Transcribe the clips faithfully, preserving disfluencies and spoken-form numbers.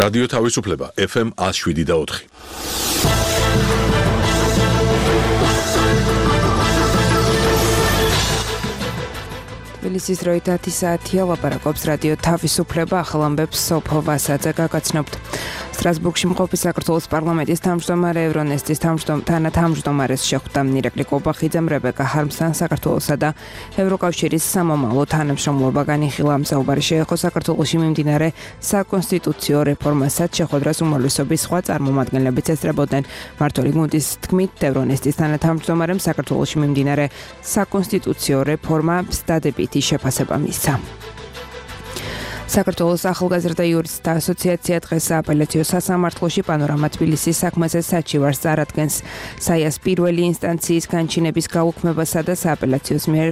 რადიო თავისუფლება ეფ ემ one oh seven და four. თბილისის რო ათი საათია ლაპარაკობს რადიო თავისუფლება ახალ ამბებს სოფო ვასაძე გაგაცნობთ. სტრასბურგში მყოფი საქართველოს პარლამენტის თავმჯდომარე ევრონესტის თანათავმჯდომარეს შეხვდა ირაკლი კობახიძემ რებეკა ჰარმსთან საქართველოსა და ევროკავშირის სამომავლო თანამშრომლობა განიხილა. საუბარი შეეხო საქართველოში მიმდინარე საკონსტიტუციო რეფორმასაც შეხვედრას უმრავლესობის სხვა წარმომადგენლებიც ესწრებოდნენ. მმართველი გუნდის თქმით ევრონესტის თანათავმჯდომარემ საქართველოში მიმდინარე საკონსტიტუციო რეფორმა დადებითი შეფასება მისცა. საქართველოს ახალგაზრდა იურისტთა ასოციაცია დღეს სააპელაციო სასამართლოში პანორამა თბილისის საქმეზე საჩივარს წარადგენს. საიას პირველი ინსტანციის განჩინების გაუქმებასა და სააპელაციოს მიერ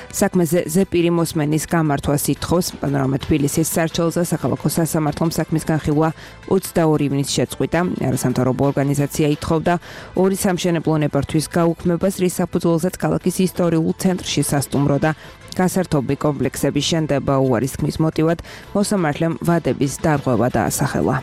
საქმეზე ზეპირი მოსმენის გამართვას ითხოვს. პანორამა თბილისის სარჩელზე საქალაქო სასამართლომ საქმის განხილვა ოცდაორი ივნის შეწყვიტა. არასამთავრობო ორგანიზაცია ითხოვდა ორი სამშენებლო ნებართვის გაუქმებას, რის საფუძველზეც ქალაქის ისტორიულ ცენტრში სასტუმრო და გასართობი კომპლექსების შენდება. უარის თქმის მოტივად მოსამართლემ ვადების დარღვევა დაასახელა.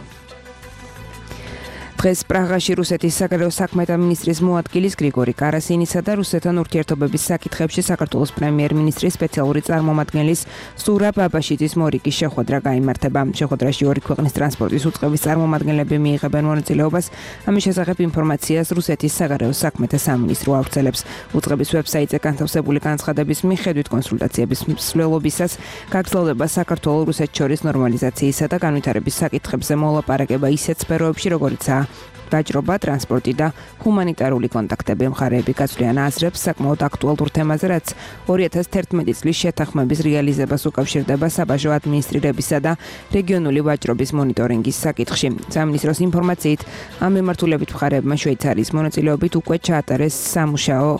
დღეს პრაღაში რუსეთის საგარეო საქმეთა მინისტრის მოადგილის გრიგორი კარასინისა და რუსეთთან ურთიერთობების საკითხებში საქართველოს პრემიერ-მინისტრის სპეციალური წარმომადგენლის სურა ბაბაშიძის მორიგის შეხვედრა გაიმართება. შეხვედრაში ორი ქვეყნის ტრანსპორტის უწყების წარმომადგენლები მიიღებენ მონაწილეობას. ამის შესახებ ინფორმაციას რუსეთის საგარეო საქმეთა სამინისტრო ავრცელებს. უწყების ვებსაიტზე განთავსებული განცხადების მიხედვით კონსულტაციების მსვლელობისას გაგრძელდება საქართველოს-რუსეთს შორის ნორმალიზაციისა და განვითარების საკითხებზე მოლაპარაკება ისეთ სფეროებში, როგორიცაა ვაჭრობა, ტრანსპორტი და ჰუმანიტარული კონტაქტები. მხარეები გაწვდიან აზრებს საკმაოდ აქტუალურ თემაზე, რაც ორი ათას თერთმეტი წლის შეთანხმების რეალიზებას უკავშირდება საბაჟო ადმინისტრირებისა და რეგიონული ვაჭრობის მონიტორინგის საკითხში. სამინისტროს ინფორმაციით, ამ მიმართულებით მხარეებმა შვეიცარიის მონაწილეობით უკვე ჩაატარეს სამუშაო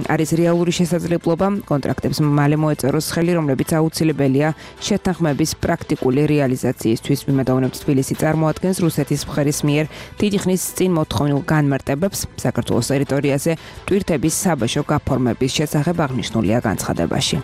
არის რეალური შესაძლებლობა კონტრაქტებს მალე მოეწეროს ხელი, რომლებიც აუცილებელია შეთანხმების პრაქტიკული რეალიზაციისთვის. მიმედოვნებთ თბილისი წარმოადგენს რუსეთის მხარის მიერ დიდი ხნის წინ მოთხოვნილ განმარტებებს საქართველოს ტერიტორიაზე ტვირთების საბაჟო გაფორმების შესახებ აღნიშნულია განცხადებაში.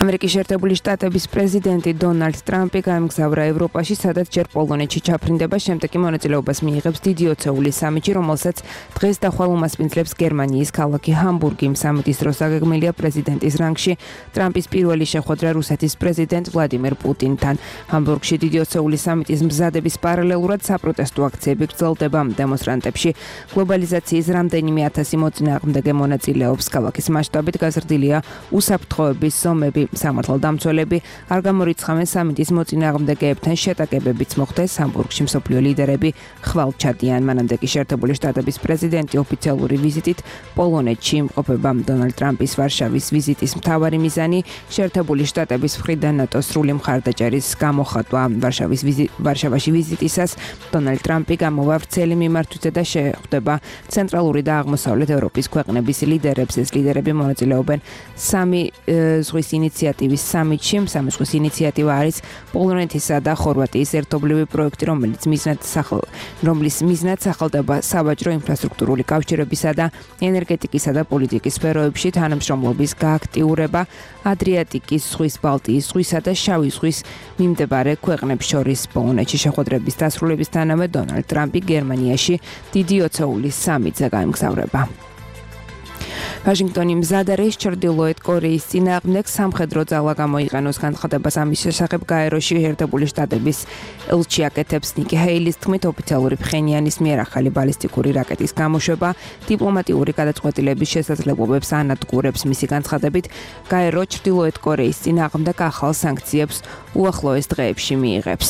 ამერიკის შეერთებული შტატების პრეზიდენტი დონალდ ტრამპი გაემგზავრა ევროპაში, სადაც ჯერ პოლონეთში ჩაფრინდება, შემდეგ კი მონაწილეობას მიიღებს დიდი ოცეულის სამიტში, რომელსაც დღეს დახვალ უმასპინძლებს გერმანიის ქალაქი ჰამბურგი. სამიტის დროს აგეგმილია პრეზიდენტის რანგში ტრამპის პირველი შეხვედრა რუსეთის პრეზიდენტ ვლადიმერ პუტინთან. ჰამბურგში დიდი ოცეულის სამიტის მზადების პარალელურად საპროტესტო აქციები გრძელდება. დემონსტრანტებში გლობალიზაციის რამდენიმე ათასი მოწინააღმდეგე მონაწილეობს. ქალაქის მასშტაბით გაზრდილია უსაფრთხოების ზომები. სამართალდამცველები არ გამორიცხავენ სამიტის მოწინააღმდეგეებთან შეტაკებებიც მოხდეს. ჰამბურგში მსოფლიო ლიდერები ხვალ ჩადიან. მანამდე კი შეერთებული შტატების პრეზიდენტი ოფიციალური ვიზიტით პოლონეთში იმყოფება. დონალდ ტრამპის ვარშავის ვიზიტის მთავარი მიზანი შეერთებული შტატების მხრიდან ნატოს სრული მხარდაჭერის გამოხატვა. ვარშავის ვარშავაში ვიზიტისას დონალდ ტრამპი გამოვა ვრცელი მიმართვით და შეხვდება ცენტრალური და აღმოსავლეთ ევროპის ქვეყნების ლიდერებს. ეს ლიდერები მონაწილეობენ სამი ზღვის ინიციატივის სამიტში. სამი ზღვის ინიციატივა არის პოლონეთისა და ხორვატიის ერთობლივი პროექტი, რომელიც მიზნად სახალ რომლის მიზნად სახელდება სავაჭრო ინფრასტრუქტურული კავშირებისა და ენერგეტიკისა და პოლიტიკის სფეროებში თანამშრომლობის გააქტიურება ადრიატიკის ზღვის, ბალტიის ზღვისა და შავი ზღვის მიმდებარე ქვეყნებს შორის. პოლონეთში შეხვედრების დასრულებისთანავე დონალდ ტრამპი გერმანიაში დიდი ოცეულის სამიტზე გაემგზავრება. ვაშინგტონი მზად არის ჩრდილოეთ კორეის წინააღმდეგ სამხედრო ძალა გამოიყენოს. განცხადებას ამის შესახებ გაეროში შეერთებული შტატების ელჩი აკეთებს. ნიკი ჰეილის თქმით, ოფიციალური ფხენიანის მიერ ახალი ბალისტიკური რაკეტის გამოშვება დიპლომატიური გადაწყვეტილების შესაძლებლობებს ანადგურებს. მისი განცხადებით, გაერო ჩრდილოეთ კორეის წინააღმდეგ ახალ სანქციებს უახლოეს დღეებში მიიღებს.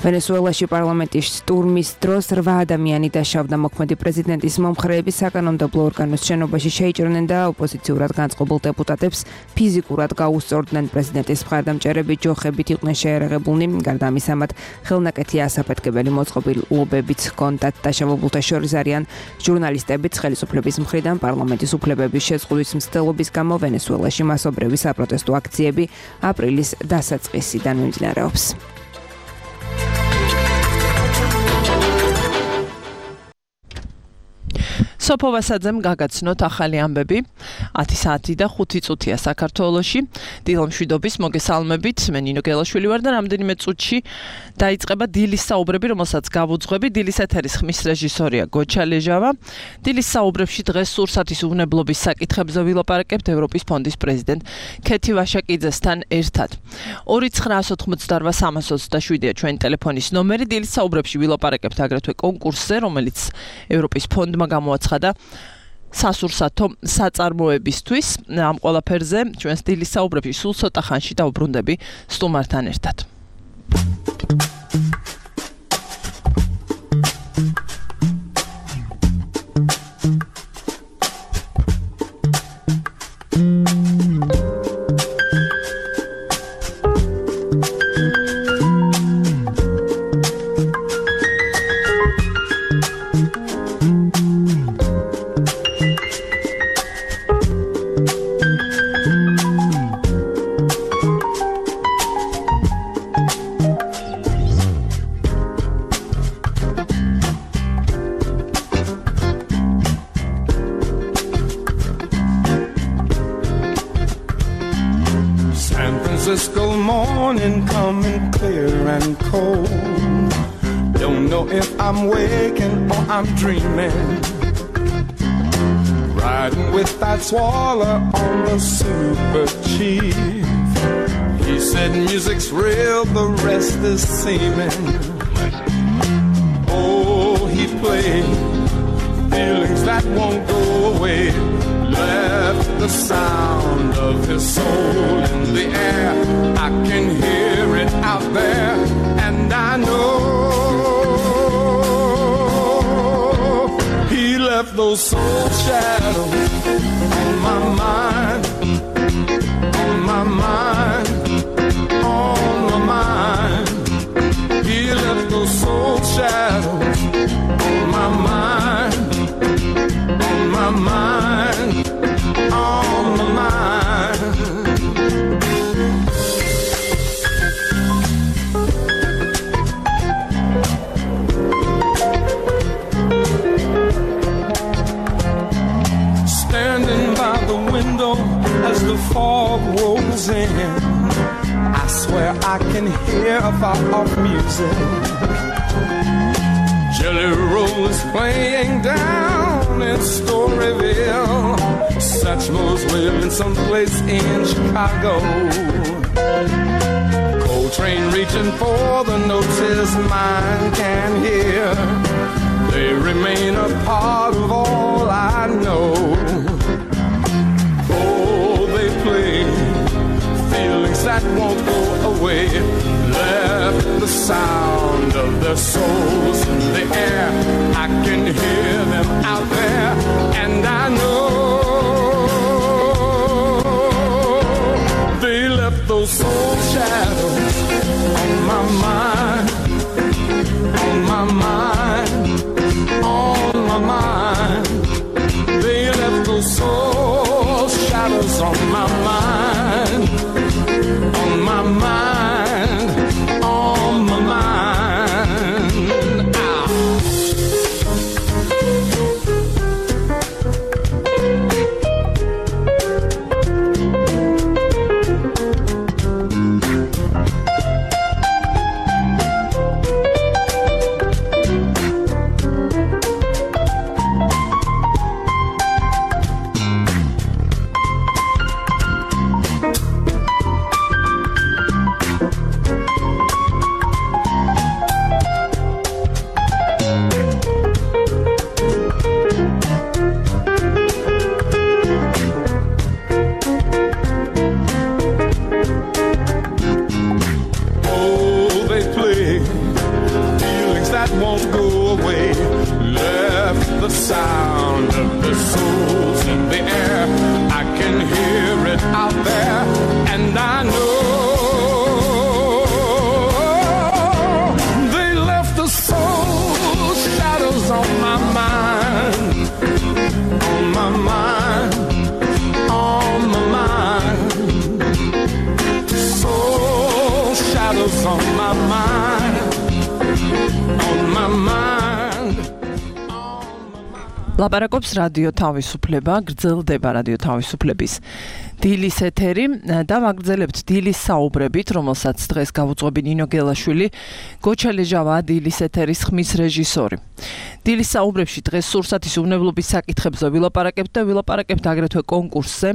ვენესუელაში პარლამენტის შტურმის დროს რვა ადამიანი დაშავდა. მოქმედი პრეზიდენტის მომხრეები საკანონმდებლო ორგანოს შენობაში შეიჭრნენ და ოპოზიციურად განწყობილ დეპუტატებს ფიზიკურად გაუსწორდნენ. პრეზიდენტის მხარდამჭერები ჯოხებით იყვნენ შეერაღებულნი. გარდა ამისა, მათ ხელნაკეთი ასაფეთქებელი მოწყობილობებიც ჰქონდათ. დაშავებულთა შორის არიან ჟურნალისტებიც. ხელისუფლების მხრიდან პარლამენტის უფლებების შეზღუდვის მცდელობის გამო ვენესუელაში მასობრივი საპროტესტო აქციები აპრილის დასაწყისიდან მიმდინარეობს. სოფო ვასაძემ გაგაცნოთ ახალი ამბები. ათი საათი და ხუთი წუთია საქართველოში. დილამშვიდობის მოგესალმებით. მე ნინო გელაშვილი ვარ და რამდენიმე წუთში დაიწყება დილის საუბრები, რომელსაც გავუძღვები. დილის ეთერის ხმის რეჟისორია გოჩა ლეჟავა. დილის საუბრებში დღეს სურსათის უვნებლობის საკითხებზე ვილაპარაკებთ ევროპის ფონდის პრეზიდენტ ქეთი ვაშაკიძესთან ერთად. ორი ცხრაას ოთხმოცდაორვა სამას ოცდაშვიდია ჩვენი ტელეფონის ნომერი. დილის საუბრებში ვილაპარაკებთ აგრეთვე კონკურსზე, რომელიც ევროპის ფონდმა გამოაცხადა სასურსათო საწარმოებისთვის. ამ ყველაფერზე ჩვენს დილის საუბრებში სულ ცოტა ხანში დავუბრუნდები სტუმართან ერთად. Francisco morning coming clear and cold. Don't know if I'm waking or I'm dreaming. Riding with that swallow on the super chief. He said music's real, the rest is seeming. Oh, he played feelings that won't go away. Left the sound of his soul in the air. I can hear it out there, and I know he left those soul shadows on my mind, on my mind, on my mind. He left those soul shadows on my mind, on my mind, on my mind. Standing by the window as the fog rolls in, I swear I can hear far off music. Jelly Roll is playing down in Storyville. Satchmo's living someplace in Chicago. Coltrane reaching for the notes his mind can hear. They remain a part of all I know. Oh, they play feelings that won't go away. Left the sound of their souls in the air. I can hear them out there, and I know they left those soul shadows on my mind, on my mind, on my mind. They left those soul shadows on my mind, on my mind, on my mind. ლაპარაკობს რადიო თავისუფლება, გრძელდება რადიო თავისუფლების დილის ეთერი და ვაგრძელებთ დილის საუბრებით, რომელსაც დღეს გავუძღვები ნინო გელაშვილი, გოჩა ლეჟავა დილის ეთერის ხმის რეჟისორი. დილის საუბრებში დღეს სურსათის უვნებლობის საკითხებზე ვილაპარაკებთ და ვილაპარაკებთ აგრეთვე კონკურსზე,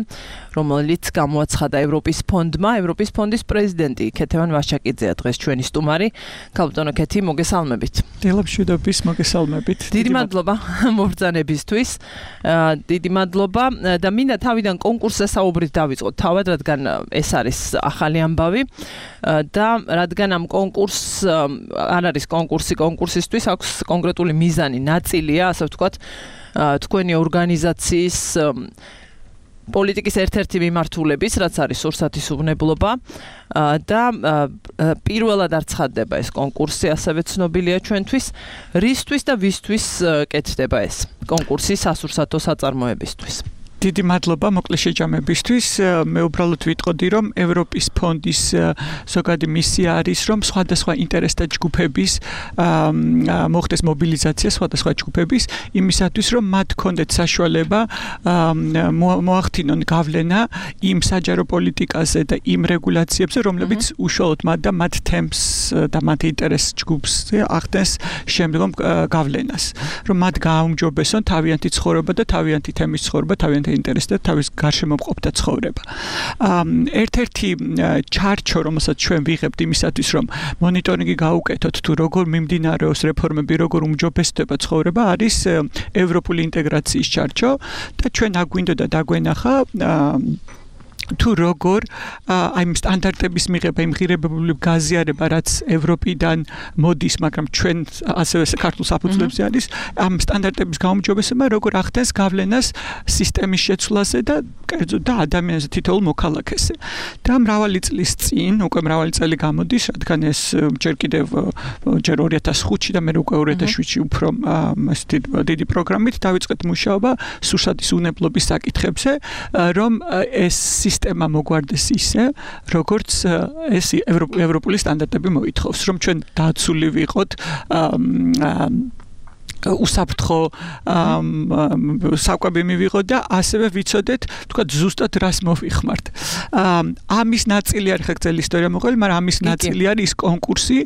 რომელიც გამოაცხადა ევროპის ფონდმა. ევროპის ფონდის პრეზიდენტი ქეთევან ვაშაკიძეა დღეს ჩვენი სტუმარი. ქალბატონო ქეთი, მოგესალმებით. დილამშვიდობის, მოგესალმებით. დიდი მადლობა მობრძანებისთვის. დიდი მადლობა და მინდა თავიდან კონკურსზე საუბრით დავიწყოთ თავად, რადგან ეს არის ახალი ამბავი და რადგან ამ კონკურსს არ არის კონკურსი კონკურსისთვის, აქვს კონკრეტული მიზანი, ნაწილია, ასე ვთქვათ, თქვენი ორგანიზაციის პოლიტიკის ერთ-ერთი მიმართულების, რაც არის სურსათის უვნებლობა და პირველად არ ცხადდება ეს კონკურსი, ასევე ცნობილია ჩვენთვის, რისთვის და ვისთვის კეთდება ეს კონკურსი სასურსათო საწარმოებისთვის. დიდი მადლობა მოკლე შეჯამებისთვის. მე უბრალოდ ვიტყოდი, რომ ევროპის ფონდის ზოგადი მისია არის, რომ სხვადასხვა ინტერესთა ჯგუფების მოხდეს მობილიზაცია სხვადასხვა ჯგუფების იმისათვის, რომ მათ ჰქონდეთ საშუალება მოახდინონ გავლენა იმ საჯარო პოლიტიკაზე და იმ რეგულაციებზე, რომლებიც უშუალოდ მათ და მათ თემს და მათ ინტერეს ჯგუფს ახდენს შემდგომ გავლენას. რომ მათ გააუმჯობესონ თავიანთი ცხოვრება და თავიანთი თემის ცხოვრება, თავიანთი ინტერესდა თავის გარშემო მყოფთა ცხოვრება. ერთ-ერთი ჩარჩო, რომელსაც ჩვენ ვიღებთ იმისათვის, რომ მონიტორინგი გაუკეთოთ თუ როგორ მიმდინარეობს რეფორმები, როგორ უმჯობესდება ცხოვრება, არის ევროპული ინტეგრაციის ჩარჩო და ჩვენ აგვინდოდა დაგვენახა თუ როგორ აი იმ სტანდარტების მიღება, იმ ღირებებული გაზიარება, რაც ევროპიდან მოდის, მაგრამ ჩვენ ასევე საქართველოს საფუძვლებზე არის, ამ სტანდარტების გაუმჯობესება, როგორ ახდენს გავლენას სისტემის შეცვლაზე და კერძოდ და ადამიანზე თითოეულ მოქალაქეზე. და მრავალი წლის წინ, უკვე მრავალი წელი გამოდის, რადგან ეს ჯერ კიდევ ჯერ ორი ათას ხუთში და მე უკვე ორი ათას შვიდში უფრო ეს დიდი პროგრამით დავიწყეთ მუშაობა სურსათის უვნებლობის საკითხებზე, რომ ეს სისტემა მოგვარდეს ისე, როგორც ეს ევროპული სტანდარტები მოითხოვს, რომ ჩვენ დაცული ვიყოთ უსაფრთხო საკვები მივიღოთ და ასევე ვიცოდეთ, თქვა ზუსტად რას მოვიხმართ. ამის ნაწილი არის ხელი ისტორია მოყოლი, მაგრამ ამის ნაწილი არის ის კონკურსი,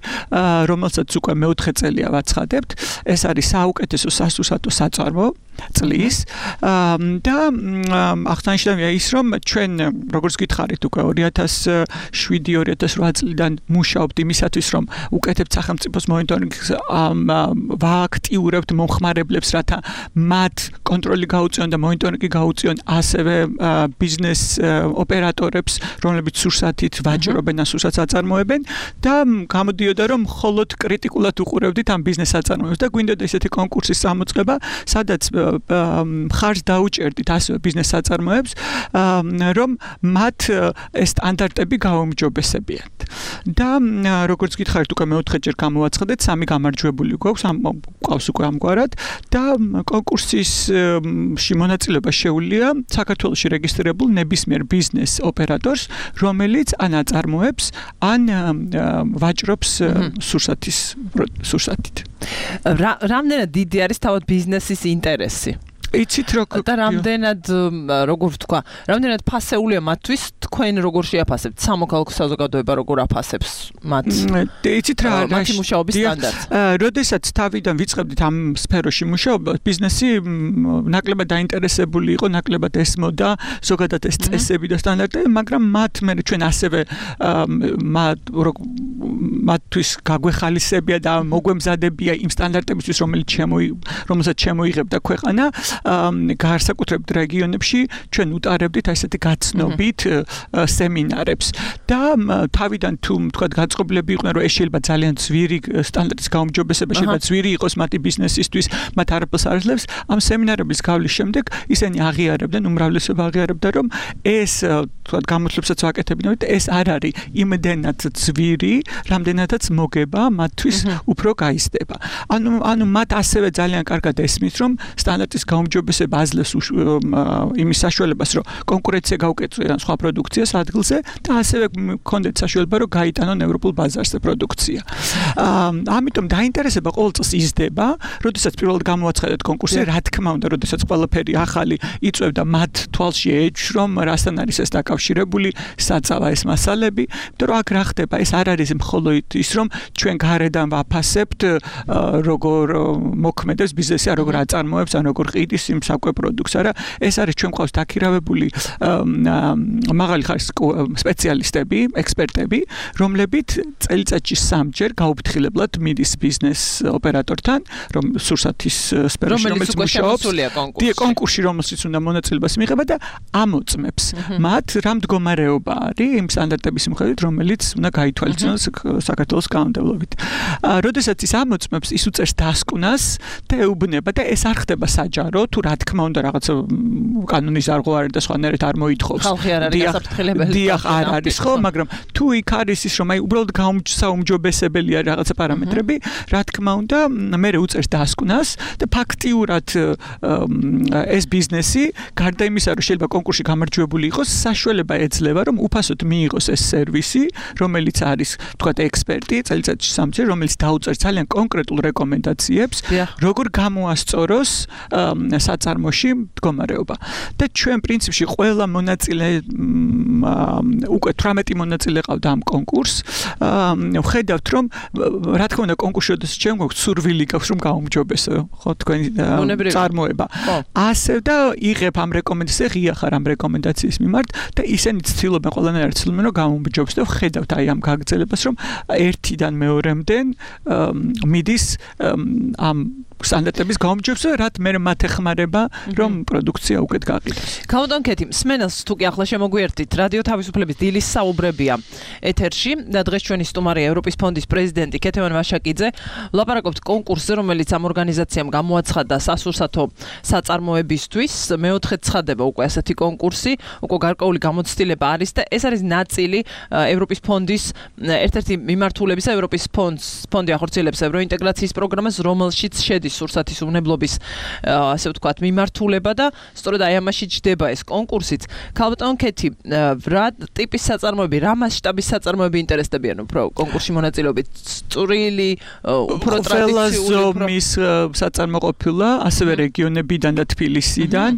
რომელსაც უკვე მეოთხე წელია ვაცხადებთ. ეს არის საუკეთესო სასურსათო საწარმო წლის და აღსანიშნავია ის, რომ ჩვენ როგორც გითხარით უკვე ორი ათას შვიდი ორი ათას ოთხ წლიდან მუშაობთ იმისათვის, რომ უკეთებთ სახელმწიფოს მონიტორინგს, ვააქტიურებთ მომხმარებლებს, რათა მათ კონტროლი გაუწიონ და მონიტორინგი გაუწიონ ასევე ბიზნეს ოპერატორებს, რომლებიც სურსათით ვაჭრობენ ან სურსათს აწარმოებენ და გამოდიოდა, რომ მხოლოდ კრიტიკულად უყურებდით ამ ბიზნეს აწარმოებს და გვინდოდა ესეთი კონკურსის გამოწყება, სადაც მხარს დაუჭერდით ასევე ბიზნეს საწარმოებს, რომ მათ ეს სტანდარტები გაუმჯობესებიათ. და როგორც გითხარით, უკვე მეოთხეჯერ გამოვაცხადეთ, სამი გამარჯვებული გვაქვს, გვყავს უკვე ამგვარად და კონკურსის მონაწილეობა შეუძლია საქართველოში რეგისტრირებულ ნებისმიერ ბიზნეს ოპერატორს, რომელიც ან აწარმოებს, ან ვაჭრობს სურსათის სურსათით. რამდენად დიდი არის თავად ბიზნესის ინტერესი? იცით როგორ და რამდენად როგორ ვთქვა, რამდენად ფასეულია მათთვის, თქვენ როგორ შეაფასებთ, სამოქალაქო საზოგადოება როგორ აფასებს მათ? იცით რა არის მათი მუშაობის სტანდარტი? როდესაც თავიდან ვიწყებდით ამ სფეროში მუშაობა, ბიზნესი ნაკლებად დაინტერესებული იყო, ნაკლებად ესმოდა ზოგადად ეს წესები და სტანდარტები, მაგრამ მათ მე ჩვენ ასევე მათთვის გაგვეხალისებია და მოგვემზადებია იმ სტანდარტებისთვის, რომელიც რომელსაც შემოიღებდა ქვეყანა. განსაკუთრებით რეგიონებში ჩვენ უტარებდით ასეთი გაცნობით სემინარებს და თავიდან თუ თქვა გაწყობილები იყვნენ, რომ ეს შეიძლება ძალიან ძვირი სტანდარტის გაუმჯობესება შეიძლება ძვირი იყოს მათი ბიზნესისთვის, მათ არაფერს არ აძლევს, ამ სემინარების გავლის შემდეგ ისინი აღიარებდნენ, უმრავლესობა აღიარებდა, რომ ეს თქვა გამოთვლებსაც ვაკეთებინავთ, ეს არ არის იმდენად ძვირი, რამდენადაც მოგება მათთვის უფრო გაიზრდება. ანუ ანუ მათ ასევე ძალიან კარგად ესმის, რომ სტანდარტის გაუმჯობესება გაუმჯობესება აძლევს იმის საშუალებას, რომ კონკურენცია გაუკეცვიან სხვა პროდუქციას ადგილზე და ასევე გქონდეთ საშუალება, რომ გაიტანონ ევროპულ ბაზარზე პროდუქცია. ამიტომ დაინტერესება ყოველ წელს იზრდება, როდესაც პირველად გამოაცხადეთ კონკურსი, რა თქმა უნდა, როდესაც ყველაფერი ახალი იწვევდა მათ თვალში ეჭვს, რომ რასთან არის ეს დაკავშირებული, საწავა ეს მასალები, იმიტომ რომ აქ რა ხდება, ეს არ არის მხოლოდ ის, რომ ჩვენ გარედან ვაფასებთ, როგორ მოქმედებს ბიზნესი, როგორ აწარმოებს, ან როგორ ყიდის იმ საკვე პროდუქტს, არა, ეს არის ჩვენ ყავს დაქირავებული მაღალი ხარისხის სპეციალისტები, ექსპერტები, რომლებიც წელიწადში სამჯერ გაუფრთხილებლად მიდის ბიზნეს ოპერატორთან, რომ სურსათის სფეროში რომელიც მუშაობს, კონკურსში რომელშიც უნდა მონაწილეობას მიიღება და ამოწმებს მათ რა მდგომარეობა არის იმ სტანდარტების მიხედვით, რომელიც უნდა გაითვალისწინოს საქართველოს კანონმდებლობით. როდესაც ის ამოწმებს, ის უწევს დასკვნას და ეუბნება და ეს არ ხდება საჯარო, თუ რა თქმა უნდა რაღაც კანონის არღო არის და სხვანაირად არ მოითხოვს. ხალხი არ არის გასაფრთხილებელი. დიახ, არ არის ხო, მაგრამ თუ იქ არის ის, რომ აი უბრალოდ გაუმჯობესებელი არის რაღაცა პარამეტრები, რა თქმა უნდა, მე უწევს დასკვნას და ფაქტიურად ეს ბიზნესი, გარდა იმისა, რომ შეიძლება კონკურსში გამარჯვებული იყოს, საშუალება ეძლევა, რომ უფასოდ მიიღოს ეს სერვისი, რომელიც არის, თქვათ, ექსპერტი, წელიწადში სამჯერ, რომელიც დაუწერს ძალიან კონკრეტულ რეკომენდაციებს, როგორ გამოასწოროს საწარმოში მდგომარეობა. და ჩვენ პრინციპში ყველა მონაწილე უკვე თვრამეტი მონაწილე ყავდა ამ კონკურსს. ვხედავთ, რომ რა თქმა უნდა კონკურსში როდესაც ჩვენ გვაქვს სურვილი გაქვს, რომ გაუმჯობესო, ხო, თქვენი წარმოება. ასე და იღებ ამ რეკომენდაციას, ღია ხარ ამ რეკომენდაციის მიმართ და ისინი ცდილობენ ყველანაირად ცდილობენ, რომ გაუმჯობესო და ვხედავთ აი ამ გაგრძელებას, რომ ერთიდან მეორემდე მიდის ამ სტანდარტების გაუმჯობესება, რაც მე მათ ეხმარება, რომ პროდუქცია უკეთ გაყიდოს. გამოდონ კეთი, სმენელს თუ კი ახლა შემოგვიერთით, რადიო თავისუფლების დილის საუბრებია ეთერში და დღეს ჩვენი სტუმარია ევროპის ფონდის პრეზიდენტი კეთევან ვაშაკიძე. ვლაპარაკობთ კონკურსზე, რომელიც ამ ორგანიზაციამ გამოაცხადა სასურსათო საწარმოებისთვის. მეოთხე ცხადება უკვე ასეთი კონკურსი, უკვე გარკვეული გამოცდილება არის და ეს არის ნაწილი ევროპის ფონდის ერთ-ერთი მიმართულებისა, ევროპის ფონდს ფონდი ახორციელებს ევროინტეგრაციის პროგრამას, რომელშიც შედის სურსათის უვნებლობის ასე ვთქვათ მიმართულება და სწორედ აი ამაში ჯდება ეს კონკურსიც. ქალბატონ კეთი, რა ტიპის საწარმოები, რა მასშტაბის საწარმოები ინტერესდებიან უფრო კონკურსში მონაწილეობით? წვრილი, უფრო ტრადიციული ზომის საწარმოყოფილა, ასევე რეგიონებიდან და თბილისიდან,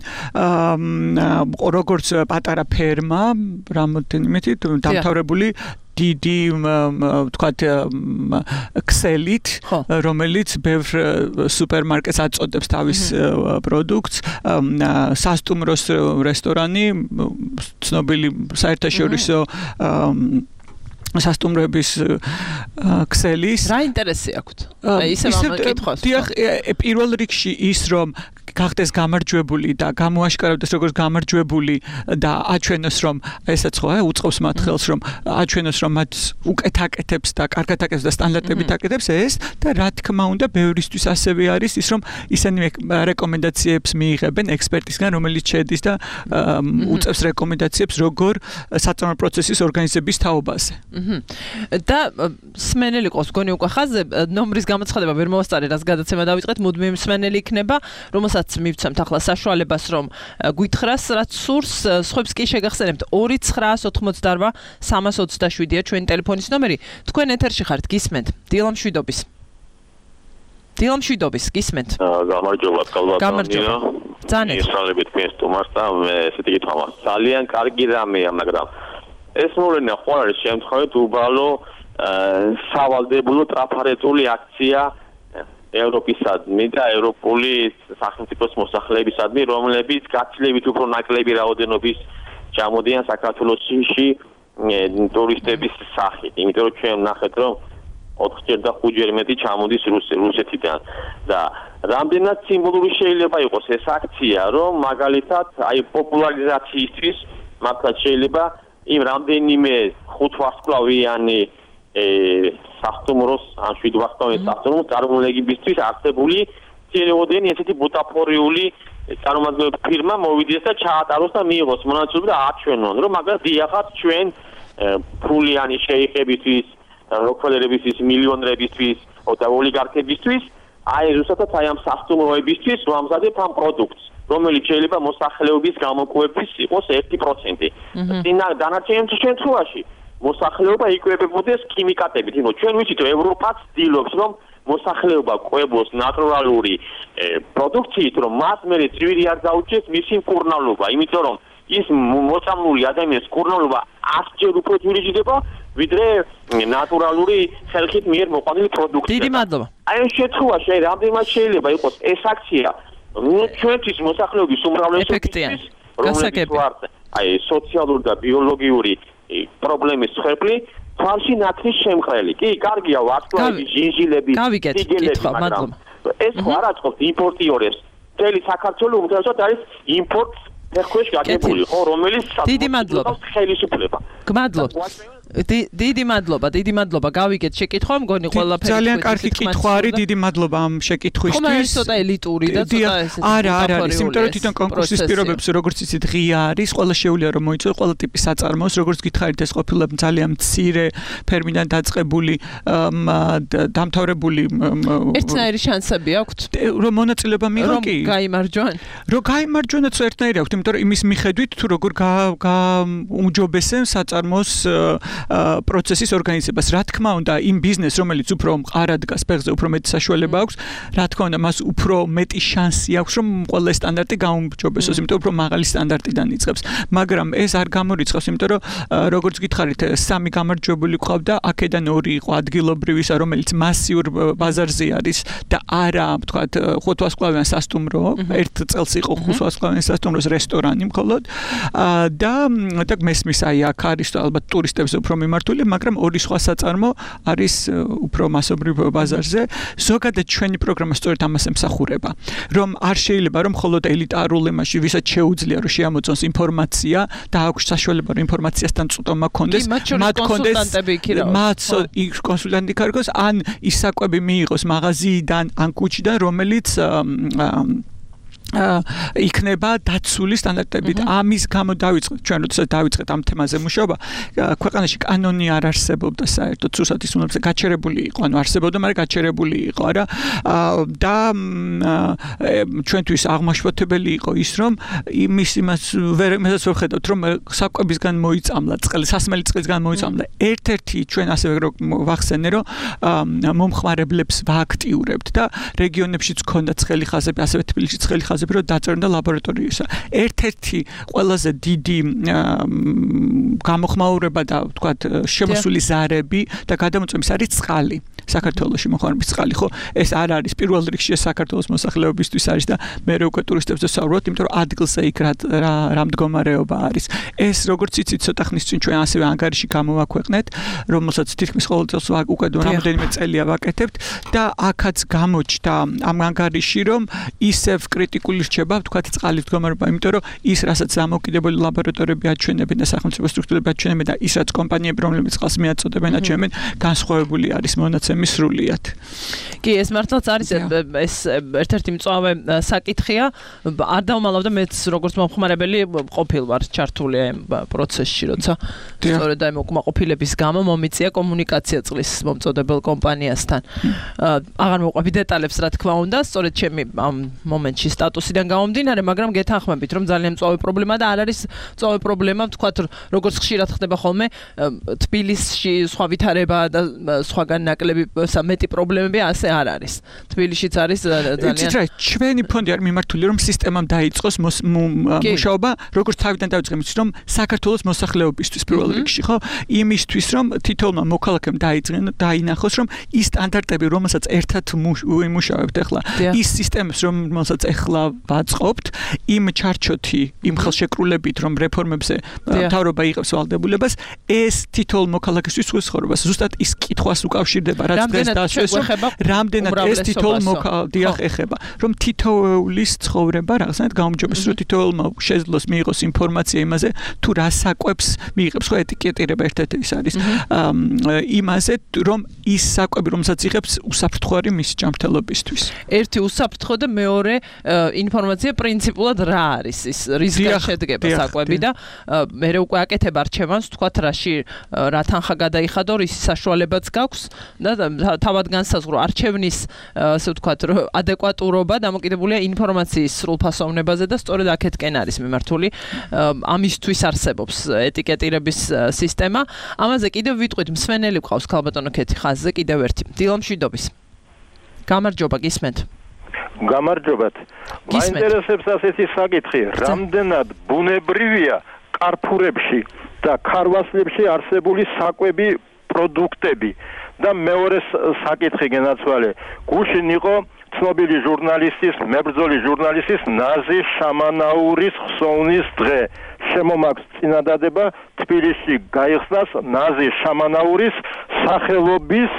როგორც პატარა ფერმა, რამოდენიმე დამთავრებული დიდი ვთქვათ ქსელით, რომელიც ბევრ სუპერმარკეტს აწოდებს თავის პროდუქტს, სასტუმროს რესტორანი, ცნობილი საერთაშორისო სასტუმროების ქსელის. რა ინტერესი აქვთ? ისევ ამ კითხვას. დიახ, პირველ რიგში ის, რომ გახდეს გამარჯვებული და გამოაშკარავდეს როგორც გამარჯვებული და აჩვენოს, რომ ესაც ხო უწყობს მათ ხელს, რომ აჩვენოს, რომ მათ უკეთ აკეთებს და კარგად აკეთებს და სტანდარტებით აკეთებს ეს და რა თქმა უნდა, ბევრისთვის ასევე არის ის, რომ ისინი რეკომენდაციებს მიიღებენ ექსპერტისგან, რომელიც შედის და უწევს რეკომენდაციებს, როგორ საწარმო პროცესის ორგანიზების თაობაზე. და სმენელი ყავს გონი უკვე ხაზზე, ნომრის გამოცხადება ვერ მოვასწარე, რას გადაცემა დავიწყეთ, მუდმივ სმენელი იქნება, რომელსაც მივცემთ ახლა საშუალებას, რომ გვითხრას, რაც სურს, სხვებს კი შეგახსენებთ ორი ცხრა ოთხმოცდარბა სამას ოცდაშვიდია ჩვენი ტელეფონის ნომერი. თქვენ ეთერში ხართ, გისმენთ. დილა მშვიდობის. დილა მშვიდობის, გისმენთ. გამარჯობა, კალბატონია. ძალიან. ისალებით თქვენ სტუმარს და მე ესეთი კითხვა მაქვს. ძალიან კარგი რამეა, მაგრამ ეს მოვლენა ხო არის შემთხვევით უბალო სავალდებულო ტრაფარეტული აქცია ევროპისადმი და ევროპული სახელმწიფოს მოსახლეებისადმი, რომლებიც გაცილებით უფრო ნაკლები რაოდენობის ჩამოდიან საქართველოში ტურისტების სახით. იმიტომ რომ ჩვენ ვნახეთ, რომ ოთხჯერ და ხუთჯერ მეტი ჩამოდის რუსეთიდან და რამდენად სიმბოლური შეიძლება იყოს ეს აქცია, რომ მაგალითად აი პოპულარიზაციისთვის მართლაც შეიძლება იმ რამდენიმე ხუთვარსკვლავიანი სასტუმროს ან შვიდვარსკვლავიანი სასტუმროს წარმომადგენლებისთვის არსებული ცელოდენი ესეთი ბუტაფორიული წარმომადგენელი ფირმა მოვიდეს და ჩაატაროს და მიიღოს მონაწილეობა და აჩვენონ, რომ მაგას დიახაც ჩვენ ფულიანი შეიხებისთვის, როკფელერებისთვის, მილიონერებისთვის და ოლიგარქებისთვის აი ზუსტად აი ამ სასტუმროებისთვის ვამზადებთ ამ პროდუქტს. რომელიც შეიძლება მოსახლეობის გამოკვლევის იყოს ერთი პროცენტი. წინა დანარჩენ შემთხვევაში მოსახლეობა იკვებებოდეს ქიმიკატებით. იმიტომ ჩვენ ვიცით რომ ევროპაც ცდილობს რომ მოსახლეობა ყვებოს ნატურალური პროდუქციით, რომ მას მერე ძვირი არ დაუჭდეს მისი მკურნალობა, იმიტომ რომ ის მოწამლული ადამიანის მკურნალობა ასჯერ უფრო ძვირი ჟიდება, ვიდრე ნატურალური ხალხით მიერ მოყვანილი პროდუქცია. დიდი მადლობა. აი ამ შემთხვევაში აი რამდენად შეიძლება იყოს ეს აქცია, ჩვენთვის მოსახლეობის უმრავლესობისთვის, რომელიც ვართ აი სოციალური და ბიოლოგიური პრობლემის ხვეპლი, თვალში ნათლის შემყრელი. კი, კარგია ვარსკვლავები, ჟინჟილები, სიგელები, მაგრამ ეს ხო არ აწყობს იმპორტიორებს. მთელი საქართველოს უმთავრესად არის იმპორტს ფერქვეშ გაგებული, ხო, რომელიც დიდი მადლობა. ხელისუფლება. გმადლობთ. დიდი მადლობა, დიდი მადლობა. გავიგეთ შეკითხვა, მგონი ყველაფერი. ძალიან კარგი კითხვა არის, დიდი მადლობა ამ შეკითხვისთვის. ხომ არის ცოტა ელიტური და ცოტა ესეთი. არა, არა, არის, იმიტომ რომ თვითონ კონკურსის პირობებში როგორც იცით ღია არის, ყველა შეუძლია რომ მოიწვიოს ყველა ტიპის საწარმოს, როგორც გითხარით ეს ყოფილა ძალიან მცირე ფერმიდან დაწყებული დამთავრებული ერთნაირი შანსები აქვთ? რომ მონაწილეობა მიიღო კი? რომ გაიმარჯვონ? რომ გაიმარჯვონაც ერთნაირი აქვთ, იმიტომ რომ იმის მიხედვით თუ როგორ გაუმჯობესენ საწარმოს პროცესის ორგანიზებას. Რა თქმა უნდა, იმ ბიზნესს, რომელიც უფრო მყარად დგას ფეხზე, უფრო მეტი საშუალება აქვს, რა თქმა უნდა, მას უფრო მეტი შანსი აქვს, რომ ყველა სტანდარტი გაუმჯობესოს, იმიტომ უფრო მაღალი სტანდარტიდან იწყებს. მაგრამ ეს არ გამორიცხავს, იმიტომ რომ როგორც გითხარით, სამი გამარჯვებული ყავდა, აქედან ორი იყო ადგილობრივისა, რომელიც მასიურ ბაზარზე არის და არა, ვთქვათ, ხუთვარსკვლავიან სასტუმრო, ერთ წელს იყო ხუთვარსკვლავიან სასტუმროს რესტორანი მხოლოდ და და მესმის აი აქ არის ალბათ ტურისტებს უფრო მიმართული, მაგრამ ორი სხვა საწარმო არის უფრო მასობრივ ბაზარზე. ზოგადად ჩვენი პროგრამა სწორედ ამას ემსახურება, რომ არ შეიძლება რომ მხოლოდ ელიტარულ ემაში ვისაც შეუძლია რომ შეამოწმოს ინფორმაცია და აქვს საშუალება რომ ინფორმაციასთან წვდომა ქონდეს, მათ ქონდეს მათ კონსულტანტი კარგოს, ან ის საკვები მიიღოს მაღაზიიდან ან კუჩიდან, რომელიც იქნება დაცული სტანდარტებით. ამის გამო დავიწყეთ ჩვენ როდესაც დავიწყეთ ამ თემაზე მუშაობა, ქვეყანაში კანონი არ არსებობდა საერთოდ სურსათის უნარზე გაჩერებული იყო, ანუ არსებობდა, მაგრამ გაჩერებული იყო, არა და ჩვენთვის აღმაშფოთებელი იყო ის, რომ იმის იმას ვერ მესაც ვერ ხედავთ, რომ საკვებისგან მოიწამლა წყალი, სასმელი წყლისგან მოიწამლა. ერთ-ერთი ჩვენ ასევე ვახსენე, რომ მომხმარებლებს ვააქტიურებთ და რეგიონებშიც ქონდათ ცხელი ხაზები, ასევე თბილისშიც ცხელი ხაზები რომ დაწერდა ლაბორატორიისა. ერთ-ერთი ყველაზე დიდი გამოხმაურება და ვთქვათ შემოსული ზარები და გადამოწმების არის წყალი. საქართველოში მოხმარების წყალი, ხო? ეს არ არის პირველ რიგში საქართველოს მოსახლეობისთვის არის და მე უკვე ტურისტებზე ვსაუბრობ, იმიტომ რომ ადგილზე იქ რა რა მდგომარეობა არის. ეს როგორც იცით, ცოტა ხნის წინ ჩვენ ასევე ანგარიში გამოვაქვეყნეთ, რომელსაც თითქმის ყოველ წელს უკვე რამდენიმე წელია ვაკეთებთ და აქაც გამოჩნდა ამ ანგარიში, რომ ისევ კრიტიკული რჩება, ვთქვათ, წყალის მდგომარეობა, იმიტომ რომ ის, რასაც დამოკიდებული ლაბორატორიები აჩვენებენ და სახელმწიფო სტრუქტურები აჩვენებენ და ის, რაც კომპანიები, რომლებიც წყალს მიაწოდებენ, აჩვენებენ, განსხვავებული არის მონაცემი სრულიად. კი, ეს მართლაც არის ეს ერთ-ერთი მწვავე საკითხია. არ დავმალავდა მეც როგორც მომხმარებელი ყოფილ ვარ ჩართული ამ პროცესში, როცა სწორედ აი უკმაყოფილების გამო მომიწია კომუნიკაცია წყლის მომწოდებელ კომპანიასთან. აღარ მოყვები დეტალებს, რა თქმა უნდა, სწორედ ჩემი ამ მომენტში სტატუსიდან გამომდინარე, მაგრამ გეთანხმებით, რომ ძალიან მწვავე პრობლემა და არ არის მწვავე პრობლემა, ვთქვათ, როგორც ხშირად ხდება ხოლმე თბილისში სხვა ვითარება და სხვაგან ნაკლები მეტი პრობლემები ასე არ არის. თბილისშიც არის ძალიან იცით რა, ჩვენი ფონდი არ მიმართული რომ სისტემამ დაიწყოს მუშაობა, როგორც თავიდან დავიწყე მის რომ საქართველოს მოსახლეობისთვის პირველ რიგში, ხო? იმისთვის რომ თითოეულმა მოქალაქემ დაიწყენ, დაინახოს რომ ის სტანდარტები, რომელსაც ერთად ვიმუშავებთ ახლა, ის სისტემებს, რომელსაც ახლა ვაწყობთ, იმ ჩარჩოთი, იმ ხელშეკრულებით, რომ რეფორმებზე მთავრობა იღებს ვალდებულებას, ეს თითოეულ მოქალაქისთვის ცხოვრებას ზუსტად ის კითხვას უკავშირდება, რაც დღეს დასვეს, რამდენად ეს თითოეულ მოქალაქეს ეხება, რომ თითოეულის ცხოვრება რაღაცნაირად გაუმჯობესოს, რომ თითოეულმა შეძლოს მიიღოს ინფორმაცია იმაზე, თუ რა საკვებს მიიღებს, ხო ეტიკეტირება ერთ-ერთი ის არის იმაზე, რომ ის საკვები, რომელსაც იღებს, უსაფრთხო არის მის ჯანმრთელობისთვის. ერთი უსაფრთხო და მეორე ინფორმაცია პრინციპულად რა არის ის, რისგან შედგება საკვები და მე უკვე აკეთებ არჩევანს, თქვათ რაში რა თანხა გადაიხადო, რის საშუალებაც გაქვს და თავად განსაზღვრო არჩევნის ასე ვთქვათ ადეკვატურობა დამოკიდებულია ინფორმაციის სრულფასოვნებაზე და სწორედ აქეთკენ არის მიმართული ამისთვის არსებობს ეტიკეტირების სისტემა. ამაზე კიდევ ვიტყვით მსმენელი ყავს ქალბატონო ქეთი ხაზზე კიდევ ერთი. დილომშვიდობის. გამარჯობა გისმენთ. გამარჯობათ. მაინტერესებს ასეთი საკითხი, რამდენად ბუნებრივია კარფურებში და ქარვასლებში არსებული საკვები პროდუქტები და მეორე საკითხი გენაცვალე. გუშინ იყო ცნობილი ჟურნალისტის, მებრძოლი ჟურნალისტის ნაზი შამანაურის ხსოვნის დღე. შემომაქვს წინადადება თბილისში გაიხსნას ნაზი შამანაურის სახელობის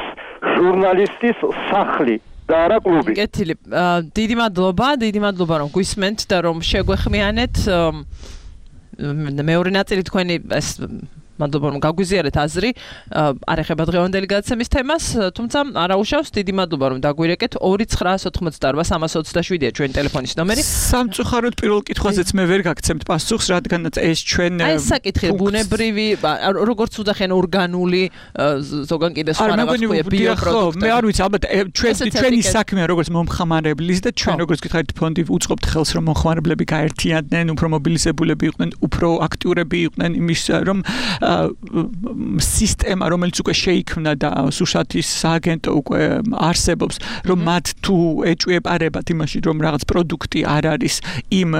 ჟურნალისტის სახლი. და არა კლუბი. კეთილი. დიდი მადლობა, დიდი მადლობა რომ გვისმენთ და რომ შეგვეხმიანეთ. მეორე ნაწილი თქვენი ეს მადლობა რომ გაგვიზიარეთ აზრი, არ ეხება დღევანდელი გადაცემის თემას, თუმცა არაუშავს დიდი მადლობა რომ დაგვირეკეთ. ორი ცხრა ოცდაოთხმოცდაარბა სამას ოცდაშვიდია ჩვენი ტელეფონის ნომერი. სამწუხაროდ პირველ კითხვაზეც მე ვერ გაგცემთ პასუხს, რადგანაც ეს ჩვენ აი ეს საკითხი ბუნებრივი, როგორც უძახენ ორგანული, ზოგან კიდე სხვა რაღაც ქვია ბიოპროდუქტები. მე არ ვიცი, ალბათ ჩვენ ჩვენი საქმეა როგორც მომხმარებლის და ჩვენ როგორც გითხარით ფონდი უწყობთ ხელს რომ მომხმარებლები გაერთიანდნენ, უფრო მობილიზებულები იყვნენ, უფრო აქტიურები იყვნენ იმის რომ სისტემა რომელიც უკვე შეიქმნა და სუშათის სააგენტო უკვე არსებობს რომ მათ თუ ეჭვიებარებათ იმაში რომ რაღაც პროდუქტი არ არის იმ